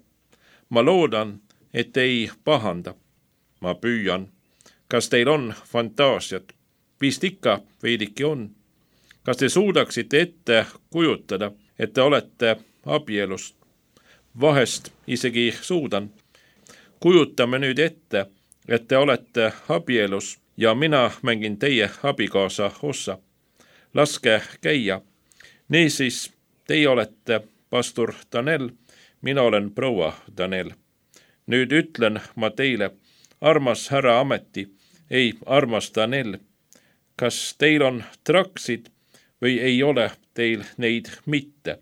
Ma loodan, et ei pahanda. Ma püüan. Kas teil on fantaasiat? Vist ikka veidiki on. Kas te suudaksite ette kujutada, et te olete abielus? Vahest isegi suudan. Kujutame nüüd ette, et te olete abielus ja mina mängin teie abikaasa ossa. Laske käia. Niisiis, teie olete pastor Danel, mina olen proua Danel. Nüüd ütlen ma teile, armas härra ameti, ei armas Danel, kas teil on traksid või ei ole teil neid mitte?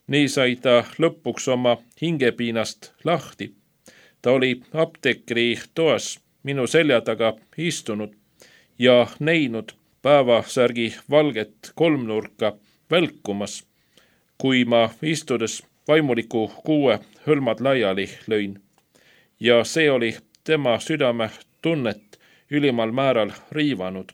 Nii sai ta lõpuks oma hingepiinast lahti. Ta oli apteekri toas minu selja taga istunud ja näinud päevasärgi valget kolmnurka välkumas, kui ma istudes vaimuliku kuue hõlmad laiali lõin. Ja see oli tema südame tunnet ülimal määral riivanud.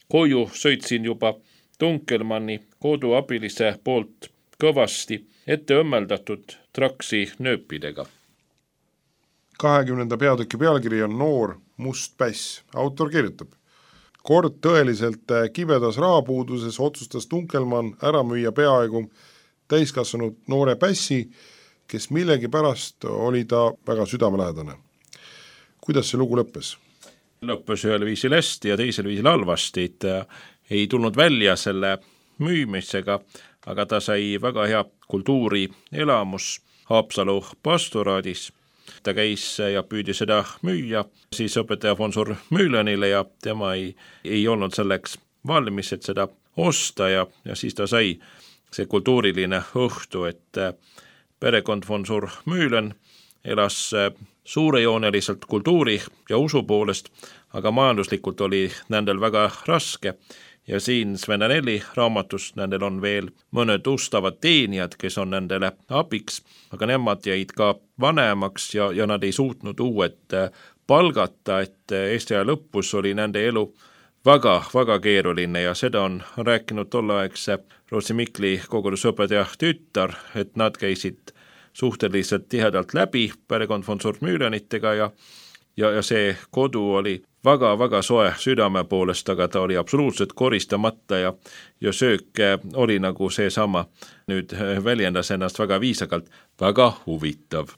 Koju sõitsin juba Dunkelmanni koduabilise poolt kõvasti ette õmmeldatud traksi nööpidega. kahekümnenda peatüki pealkiri on Noor must päss. Autor kirjutab. Kord tõeliselt kibedas rahapuuduses otsustas Dunkelmann ära müüa peaaegu täiskasvanud noore pässi, kes millegi pärast oli ta väga südamelähedane. Kuidas see lugu lõppes? Lõppes ühel viisil hästi ja teisel viisil halvasti, et ei tulnud välja selle müümisega, aga ta sai väga hea kultuurielamus Haapsalu pastoraadis. Ta käis ja püüdi seda müüa siis õpetaja Fonsur Müülönile ja tema ei, ei olnud selleks valmis, et seda osta ja, ja siis ta sai see kultuuriline õhtu, et perekond Fonsur Müülön elas suurejooneliselt kultuuri ja usu poolest, aga majanduslikult oli nendel väga raske. Ja siin Sven Daneli raamatus nendel on veel mõned ustavad teenijad, kes on nendele abiks, aga nemad jäid ka vanemaks ja, ja nad ei suutnud uued palgata, et Eesti aja lõpus oli nende elu väga, väga keeruline ja seda on rääkinud tolleaegse Rootsi Mikli kogudusõpetaja tütar, et nad käisid suhteliselt tihedalt läbi perekond Fonsur Müülönitega ja, ja, ja see kodu oli väga-väga soe südame poolest, aga ta oli absoluutselt koristamata ja, ja söök oli nagu seesama, nüüd väljendas ennast väga viisakalt, väga huvitav.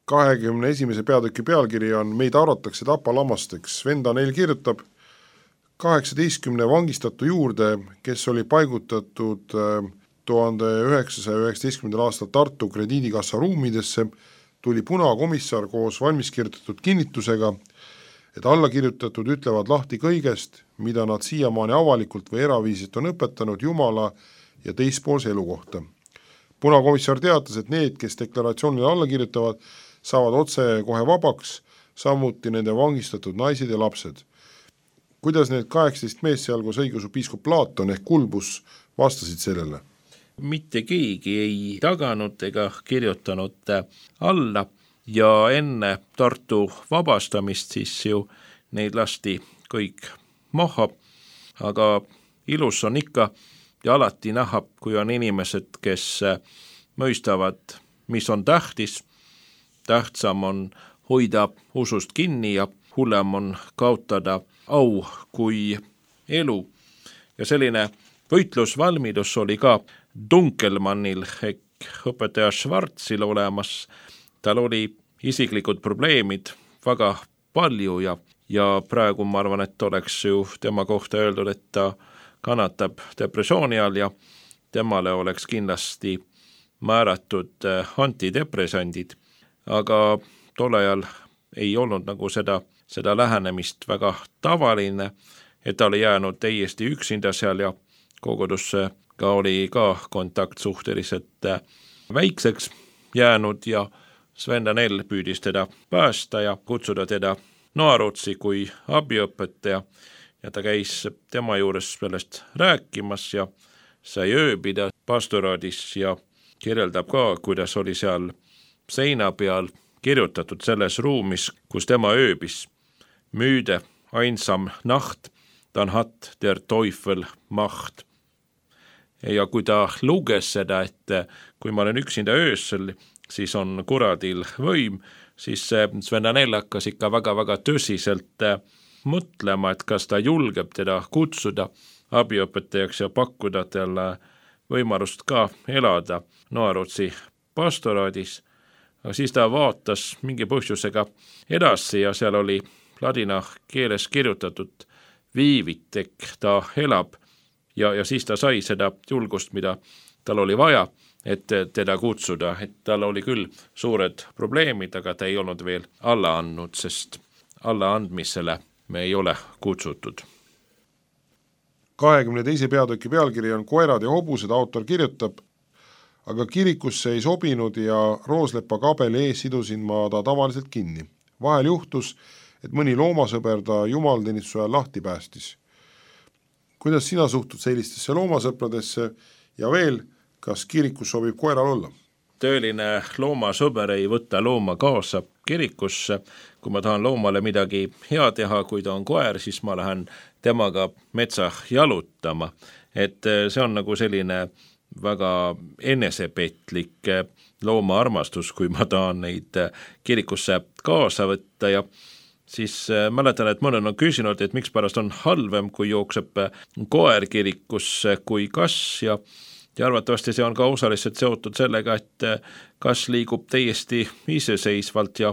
kahekümne esimese peatüki pealkiri on Meid arvatakse tapalamasteks. Sven Danel kirjutab kaheksateistkümne vangistatu juurde, kes oli paigutatud tuhande üheksasaja üheksateistkümnendal aastal Tartu krediidikassa ruumidesse, tuli punakomissar koos valmiskirjutatud kinnitusega, et allakirjutatud ütlevad lahti kõigest, mida nad siiamaani avalikult või eraviiselt on õpetanud Jumala ja teispoolse elu kohta. Punakomissar teatas, et need, kes deklaratsioonile alla kirjutavad, saavad otse kohe vabaks, samuti nende vangistatud naised ja lapsed. Kuidas need kaheksateist mees seal koos õigeusu piiskop Platon ehk Kulbus vastasid sellele? Mitte keegi ei taganud ega kirjutanud alla ja enne Tartu vabastamist siis ju neid lasti kõik maha, aga ilus on ikka ja alati näha, kui on inimesed, kes mõistavad, mis on tähtis. Tähtsam on hoida usust kinni ja hullem on kaotada au kui elu. Ja selline võitlusvalmidus oli ka Dunkelmannil ehk õpetaja Schwarzil olemas. Tal oli isiklikud probleemid väga palju ja, ja praegu ma arvan, et oleks ju tema kohta öeldud, et ta kannatab depressiooni all ja temale oleks kindlasti määratud antidepressandid, aga tol ajal ei olnud nagu seda, seda lähenemist väga tavaline, et ta oli jäänud täiesti üksinda seal ja kogudusse ka oli ka kontakt suhteliselt väikseks jäänud ja Sven Danel püüdis teda päästa ja kutsuda teda Noarootsi kui abiõpetaja ja ta käis tema juures sellest rääkimas ja sai ööbida pastoraadis ja kirjeldab ka, kuidas oli seal seina peal kirjutatud selles ruumis, kus tema ööbis. Müüde einsam Nacht, dann hat der Teufel Macht. Ja kui ta luges seda, et kui ma olen üksinda öösel, siis on kuradil võim, siis Sven Danell hakkas ikka väga-väga tõsiselt mõtlema, et kas ta julgeb teda kutsuda abiõpetajaks ja pakkuda talle võimalust ka elada Noarootsi pastoraadis. Aga siis ta vaatas mingi põhjusega edasi ja seal oli ladina keeles kirjutatud viivitek, ta elab ja, ja siis ta sai seda julgust, mida tal oli vaja, et teda kutsuda, et tal oli küll suured probleemid, aga ta ei olnud veel alla andnud, sest alla andmisele me ei ole kutsutud. kahekümne teise peatüki pealkiri on Koerad ja hobused, autor kirjutab, aga kirikusse ei sobinud ja rooslepa kabeli ees sidusin ma ta tavaliselt kinni. Vahel juhtus, et mõni loomasõber ta jumalteenistuse ajal lahti päästis. Kuidas sina suhtud sellistesse loomasõpradesse ja veel, kas kirikus sobib koeral olla? Tööline loomasõber ei võta looma kaasa kirikusse. Kui ma tahan loomale midagi hea teha, kui ta on koer, siis ma lähen temaga metsa jalutama. Et see on nagu selline väga enesepetlik looma armastus, kui ma tahan neid kirikusse kaasa võtta ja siis mäletan, et mõned on küsinud, et miks pärast on halvem, kui jookseb koer kirikusse kui kass ja Ja arvatavasti see on ka osaliselt seotud sellega, et kas liigub täiesti iseseisvalt ja,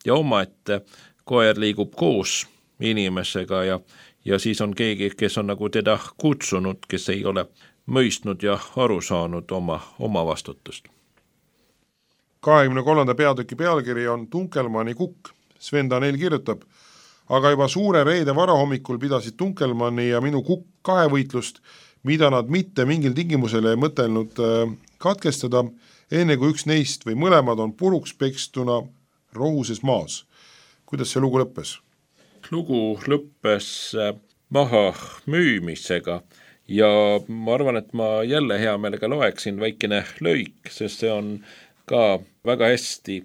ja oma, et koer liigub koos inimesega ja, ja siis on keegi, kes on nagu teda kutsunud, kes ei ole mõistnud ja aru saanud oma, oma vastutust. kahekümne kolmanda peatüki pealkiri on Tunkelmanni kukk. Sven Danell kirjutab, aga juba suure reede varahommikul pidasid Tunkelmanni ja minu kukk kahevõitlust, mida nad mitte mingil tingimusele ei mõtelnud katkestada, enne kui üks neist või mõlemad on puruks pekstuna rohuses maas. Kuidas see lugu lõppes? Lugu lõppes maha müümisega ja ma arvan, et ma jälle hea meelega loeksin väikene lõik, sest see on ka väga hästi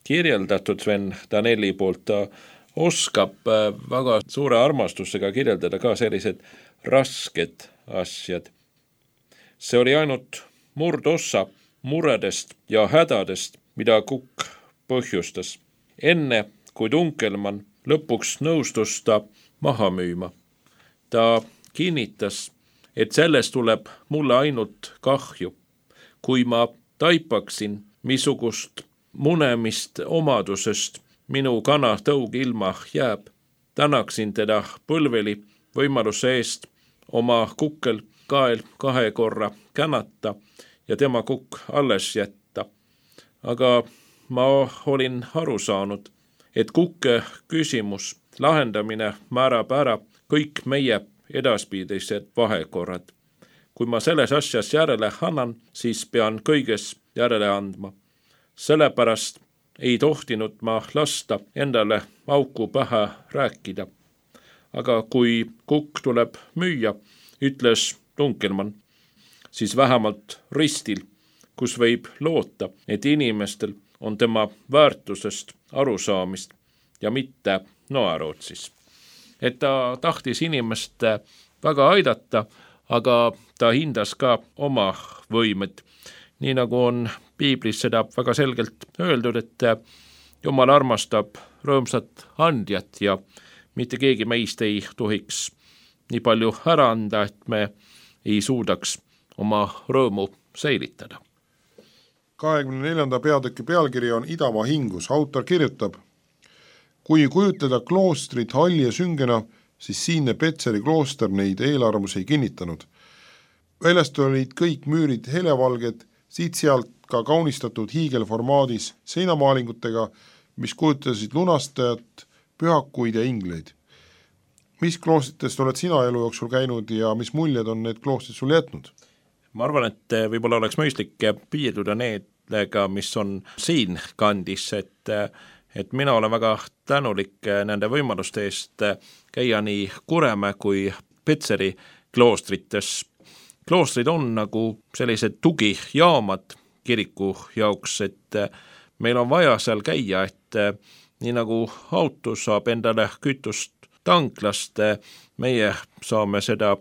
kirjeldatud Sven Danelli poolt. Ta oskab väga suure armastusega kirjeldada ka sellised rasked asjad. See oli ainult murdossa muredest ja hädadest, mida kukk põhjustas. Enne kui Tunkelmann lõpuks nõustus ta maha müüma. Ta kinnitas, et sellest tuleb mulle ainult kahju. Kui ma taipaksin missugust munemist omadusest minu kana tõug ilma jääb, tänaksin teda põlveli võimaluse eest oma kukkel kael kahe korra känata ja tema kukk alles jätta. Aga ma olin aru saanud, et kukke küsimus lahendamine määrab ära kõik meie edaspidised vahekorrad. Kui ma selles asjas järele annan, siis pean kõiges järele andma. Sellepärast ei tohtinud ma lasta endale auku pähe rääkida. Aga kui kukk tuleb müüa, ütles Tunkelmann, siis vähemalt ristil, kus võib loota, et inimestel on tema väärtusest arusaamist ja mitte Noarootsis. Et ta tahtis inimest väga aidata, aga ta hindas ka oma võimet. Nii nagu on piiblis seda väga selgelt öeldud, et Jumal armastab rõõmsat andjat ja mitte keegi meist ei tohiks nii palju ära anda, et me ei suudaks oma rõõmu säilitada. kahekümne neljanda peatüki pealkiri on Idamaa hingus. Autor kirjutab, kui kujutleda kloostrit halli ja süngena, siis siinne Petseri klooster neid eelarvamusi ei kinnitanud. Väljast olid kõik müürid helevalged, siit-sealt ka kaunistatud hiigelformaadis seinamaalingutega, mis kujutasid lunastajat, pühakuid ja ingleid. Mis kloostritest oled sina elu jooksul käinud ja mis muljed on need kloostrid sul jätnud? Ma arvan, et võib-olla oleks mõistlik piirduda needega, mis on siin kandis, et, et mina olen väga tänulik nende võimaluste eest käia nii Kuremäe kui Petseri kloostrites. Kloostrid on nagu sellised tugijaamad kiriku jaoks, et meil on vaja seal käia, et nii nagu auto saab endale kütust tanklast, meie saame seda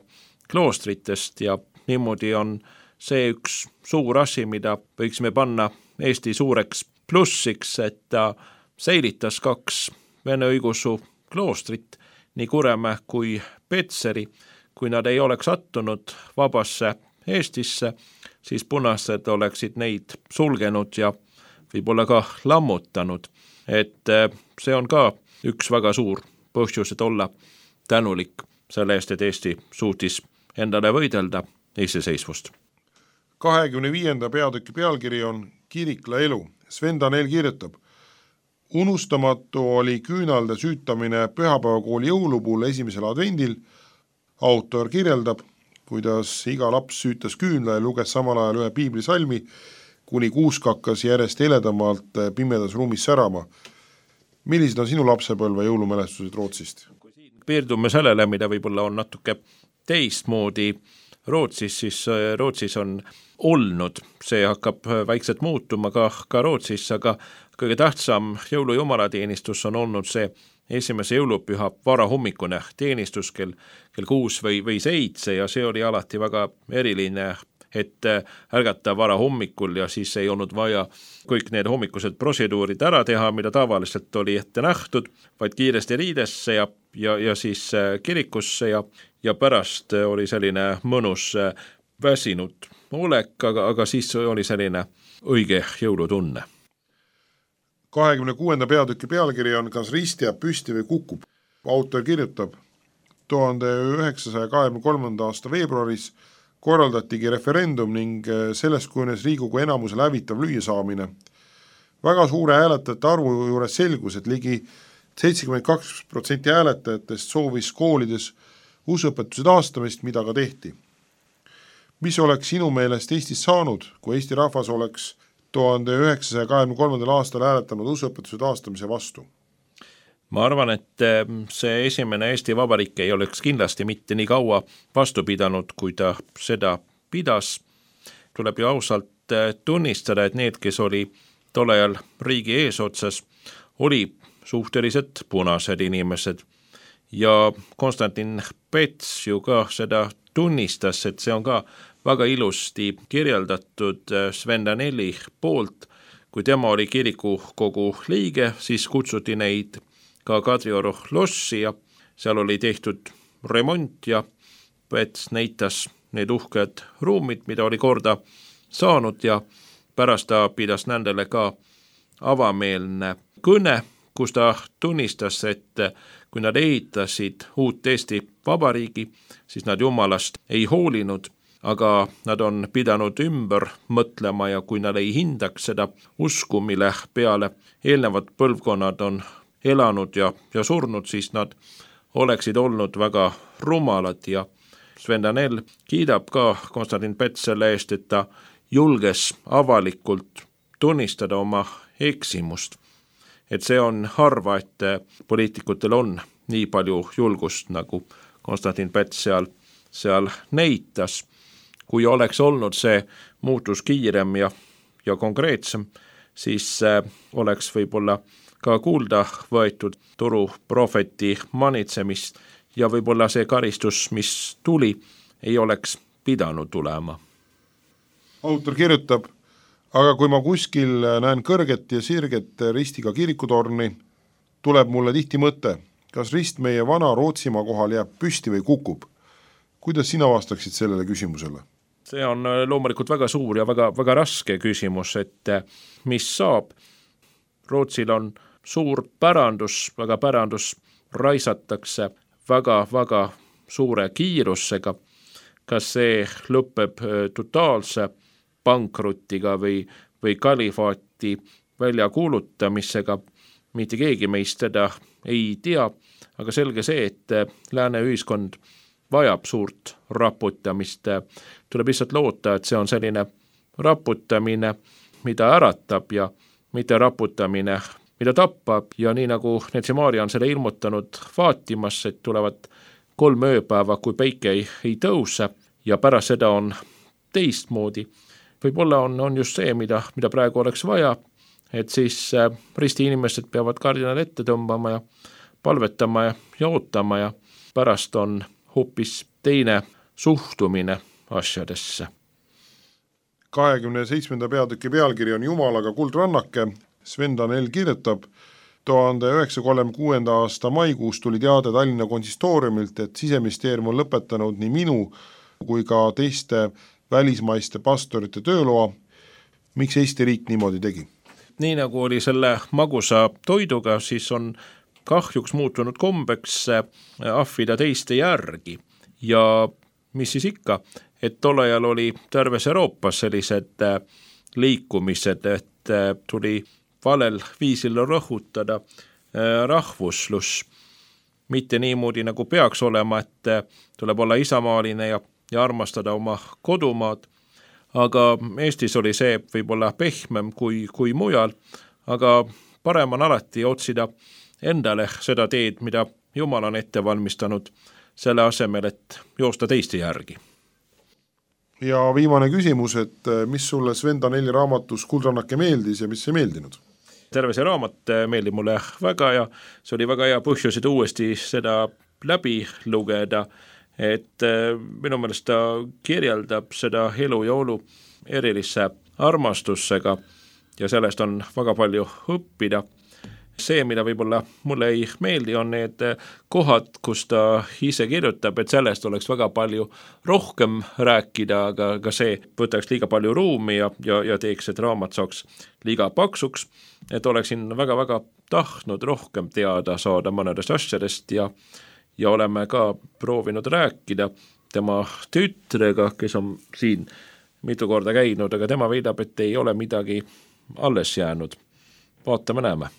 kloostritest ja niimoodi on see üks suur asi, mida võiksime panna Eesti suureks plussiks, et ta säilitas kaks vene õigeusu kloostrit, nii Kuremäe kui Petseri. Kui nad ei oleks sattunud vabasse Eestisse, siis punased oleksid neid sulgenud ja võib-olla ka lammutanud. Et see on ka üks väga suur põhjus, et olla tänulik selle eest, et Eesti suutis endale võidelda iseseisvust. kahekümne viienda peatüki pealkiri on Kirikla elu. Sven Danell kirjutab: unustamatu oli küünalde süütamine pühapäevakooli jõulupuul esimesel advendil. Autor kirjeldab, kuidas iga laps süütas küünla ja luges samal ajal ühe piiblisalmi, kuni kuusk hakkas järjest heledamalt pimedas ruumis särama. Millised on sinu lapsepõlve jõulumälestused Rootsist? Piirdume sellele, mida võib-olla on natuke teistmoodi Rootsis, siis Rootsis on olnud, see hakkab väikselt muutuma ka, ka Rootsis, aga kõige tähtsam jõulujumalateenistus on olnud see esimese jõulupüha varahommikune teenistus kell, kell kuus või, või seitse ja see oli alati väga eriline, et ärgata vara hommikul ja siis ei olnud vaja kõik need hommikused protseduurid ära teha, mida tavaliselt oli ette nähtud, vaid kiiresti riidesse ja, ja, ja siis kirikusse ja, ja pärast oli selline mõnus väsinud olek, aga, aga siis oli selline õige jõulutunne. kahekümne kuuenda peatüki pealkiri on Kas rist jääb püsti või kukub? Autor kirjutab: tuhande üheksasaja kahekümne kolmanda aasta veebruaris korraldatigi referendum ning sellest kujunes Riigikogu enamuse lävitav lüüasaamine. Väga suure hääletajate arvu juures selgus, et ligi seitsekümmend kaks protsenti hääletajatest soovis koolides usuõpetuse taastamist, mida ka tehti. Mis oleks sinu meelest Eestis saanud, kui Eesti rahvas oleks tuhande üheksasaja kahekümne kolmandal aastal hääletanud usuõpetuse taastamise vastu? Ma arvan, et see esimene Eesti Vabariik ei oleks kindlasti mitte nii kaua vastu pidanud, kui ta seda pidas. Tuleb ju ausalt tunnistada, et need, kes oli tollel riigi eesotsas, oli suhteliselt punased inimesed. Ja Konstantin Päts ju ka seda tunnistas, et see on ka väga ilusti kirjeldatud Sven Danelli poolt. Kui tema oli kirikukogu liige, siis kutsuti neid ka Kadrioru lossi ja seal oli tehtud remont ja Päts näitas need uhked ruumid, mida oli korda saanud ja pärast ta pidas nendele ka avameelne kõne, kus ta tunnistas, et kui nad ehitasid uut Eesti Vabariigi, siis nad jumalast ei hoolinud, aga nad on pidanud ümber mõtlema ja kui nad ei hindaks seda usku, mille peale eelnevad põlvkonnad on elanud ja, ja surnud, siis nad oleksid olnud väga rumalad ja Sven Danell kiidab ka Konstantin Päts selle eest, et ta julges avalikult tunnistada oma eksimust. Et see on harva, et poliitikutel on nii palju julgust, nagu Konstantin Päts seal, seal näitas. Kui oleks olnud see muutus kiirem ja, ja konkreetsem, siis oleks võib-olla ka kuulda võetud turu prohveti manitsemist ja võib-olla see karistus, mis tuli, ei oleks pidanud tulema. Autor kirjutab: aga kui ma kuskil näen kõrget ja sirget ristiga kirikutorni, tuleb mulle tihti mõte, kas rist meie vana Rootsimaa kohal jääb püsti või kukub? Kuidas sina vastaksid sellele küsimusele? See on loomulikult väga suur ja väga, väga raske küsimus, et mis saab. Rootsil on suur pärandus, väga pärandus raisatakse väga-väga suure kiirusega. Kas see lõpeb totaalse pankrutiga või, või kalifaati väljakuulutamisega, mitte keegi meist seda ei tea, aga selge see, et lääne ühiskond vajab suurt raputamist. Tuleb lihtsalt loota, et see on selline raputamine, mida äratab ja mitte raputamine, mida tappa ja nii nagu Netsimaaria on selle ilmutanud vaatimas, et tulevad kolm ööpäeva, kui päike ei, ei tõuse ja pärast seda on teistmoodi. Võib-olla on, on just see, mida, mida praegu oleks vaja, et siis risti inimesed peavad kardinal ette tõmbama ja palvetama ja, ja ootama ja pärast on hoopis teine suhtumine asjadesse. kahekümne seitsmenda peatüki pealkiri on Jumalaga kuldrannake. Sven Danell kirjutab, tuhande üheksasaja kolmekümne kuuenda aasta maikuus tuli teade Tallinna konsistooriumilt, et Siseministeerium on lõpetanud nii minu kui ka teiste välismaiste pastorite tööloa. Miks Eesti riik niimoodi tegi? Nii nagu oli selle magusa toiduga, siis on kahjuks muutunud kombeks ahvida teiste järgi ja mis siis ikka, et tol ajal oli terves Euroopas sellised liikumised, et tuli valel viisil rõhutada rahvuslus, mitte niimoodi nagu peaks olema, et tuleb olla isamaaline ja, ja armastada oma kodumaad, aga Eestis oli see võib-olla pehmem kui, kui mujal, aga parem on alati otsida endale seda teed, mida Jumal on ette valmistanud, selle asemel, et joosta teiste järgi. Ja viimane küsimus, et mis sulle Sven Danelli raamatus Kuldrannake meeldis ja mis ei meeldinud? Terve see raamat meeldib mulle väga ja see oli väga hea põhjus, et uuesti seda läbi lugeda, et minu meelest ta kirjeldab seda elu ja olu erilisse armastusega ja sellest on väga palju õppida. See, mida võib-olla mulle ei meeldi, on need kohad, kus ta ise kirjutab, et sellest oleks väga palju rohkem rääkida, aga, aga see võtaks liiga palju ruumi ja, ja, ja teeks, et raamat saaks liiga paksuks, et oleksin väga-väga tahtnud rohkem teada saada mõnedest asjadest ja, ja oleme ka proovinud rääkida tema tütrega, kes on siin mitu korda käinud, aga tema väidab, et ei ole midagi alles jäänud. Vaatame, näeme.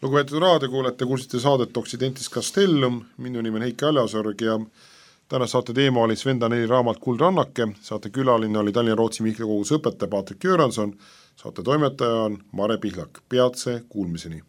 Lugupeetud raadiokuulajate, kuulsite saadet Occidentis Castellum, minu nimi on Heiki Aljasorg ja täna saate teema oli Sven Danelli raamat Kuldrannake, saate külaline oli Tallinna Rootsi Mihkli kogus õpetaja Patrik Jüranson, saate toimetaja on Mare Pihlak, peatse kuulmiseni.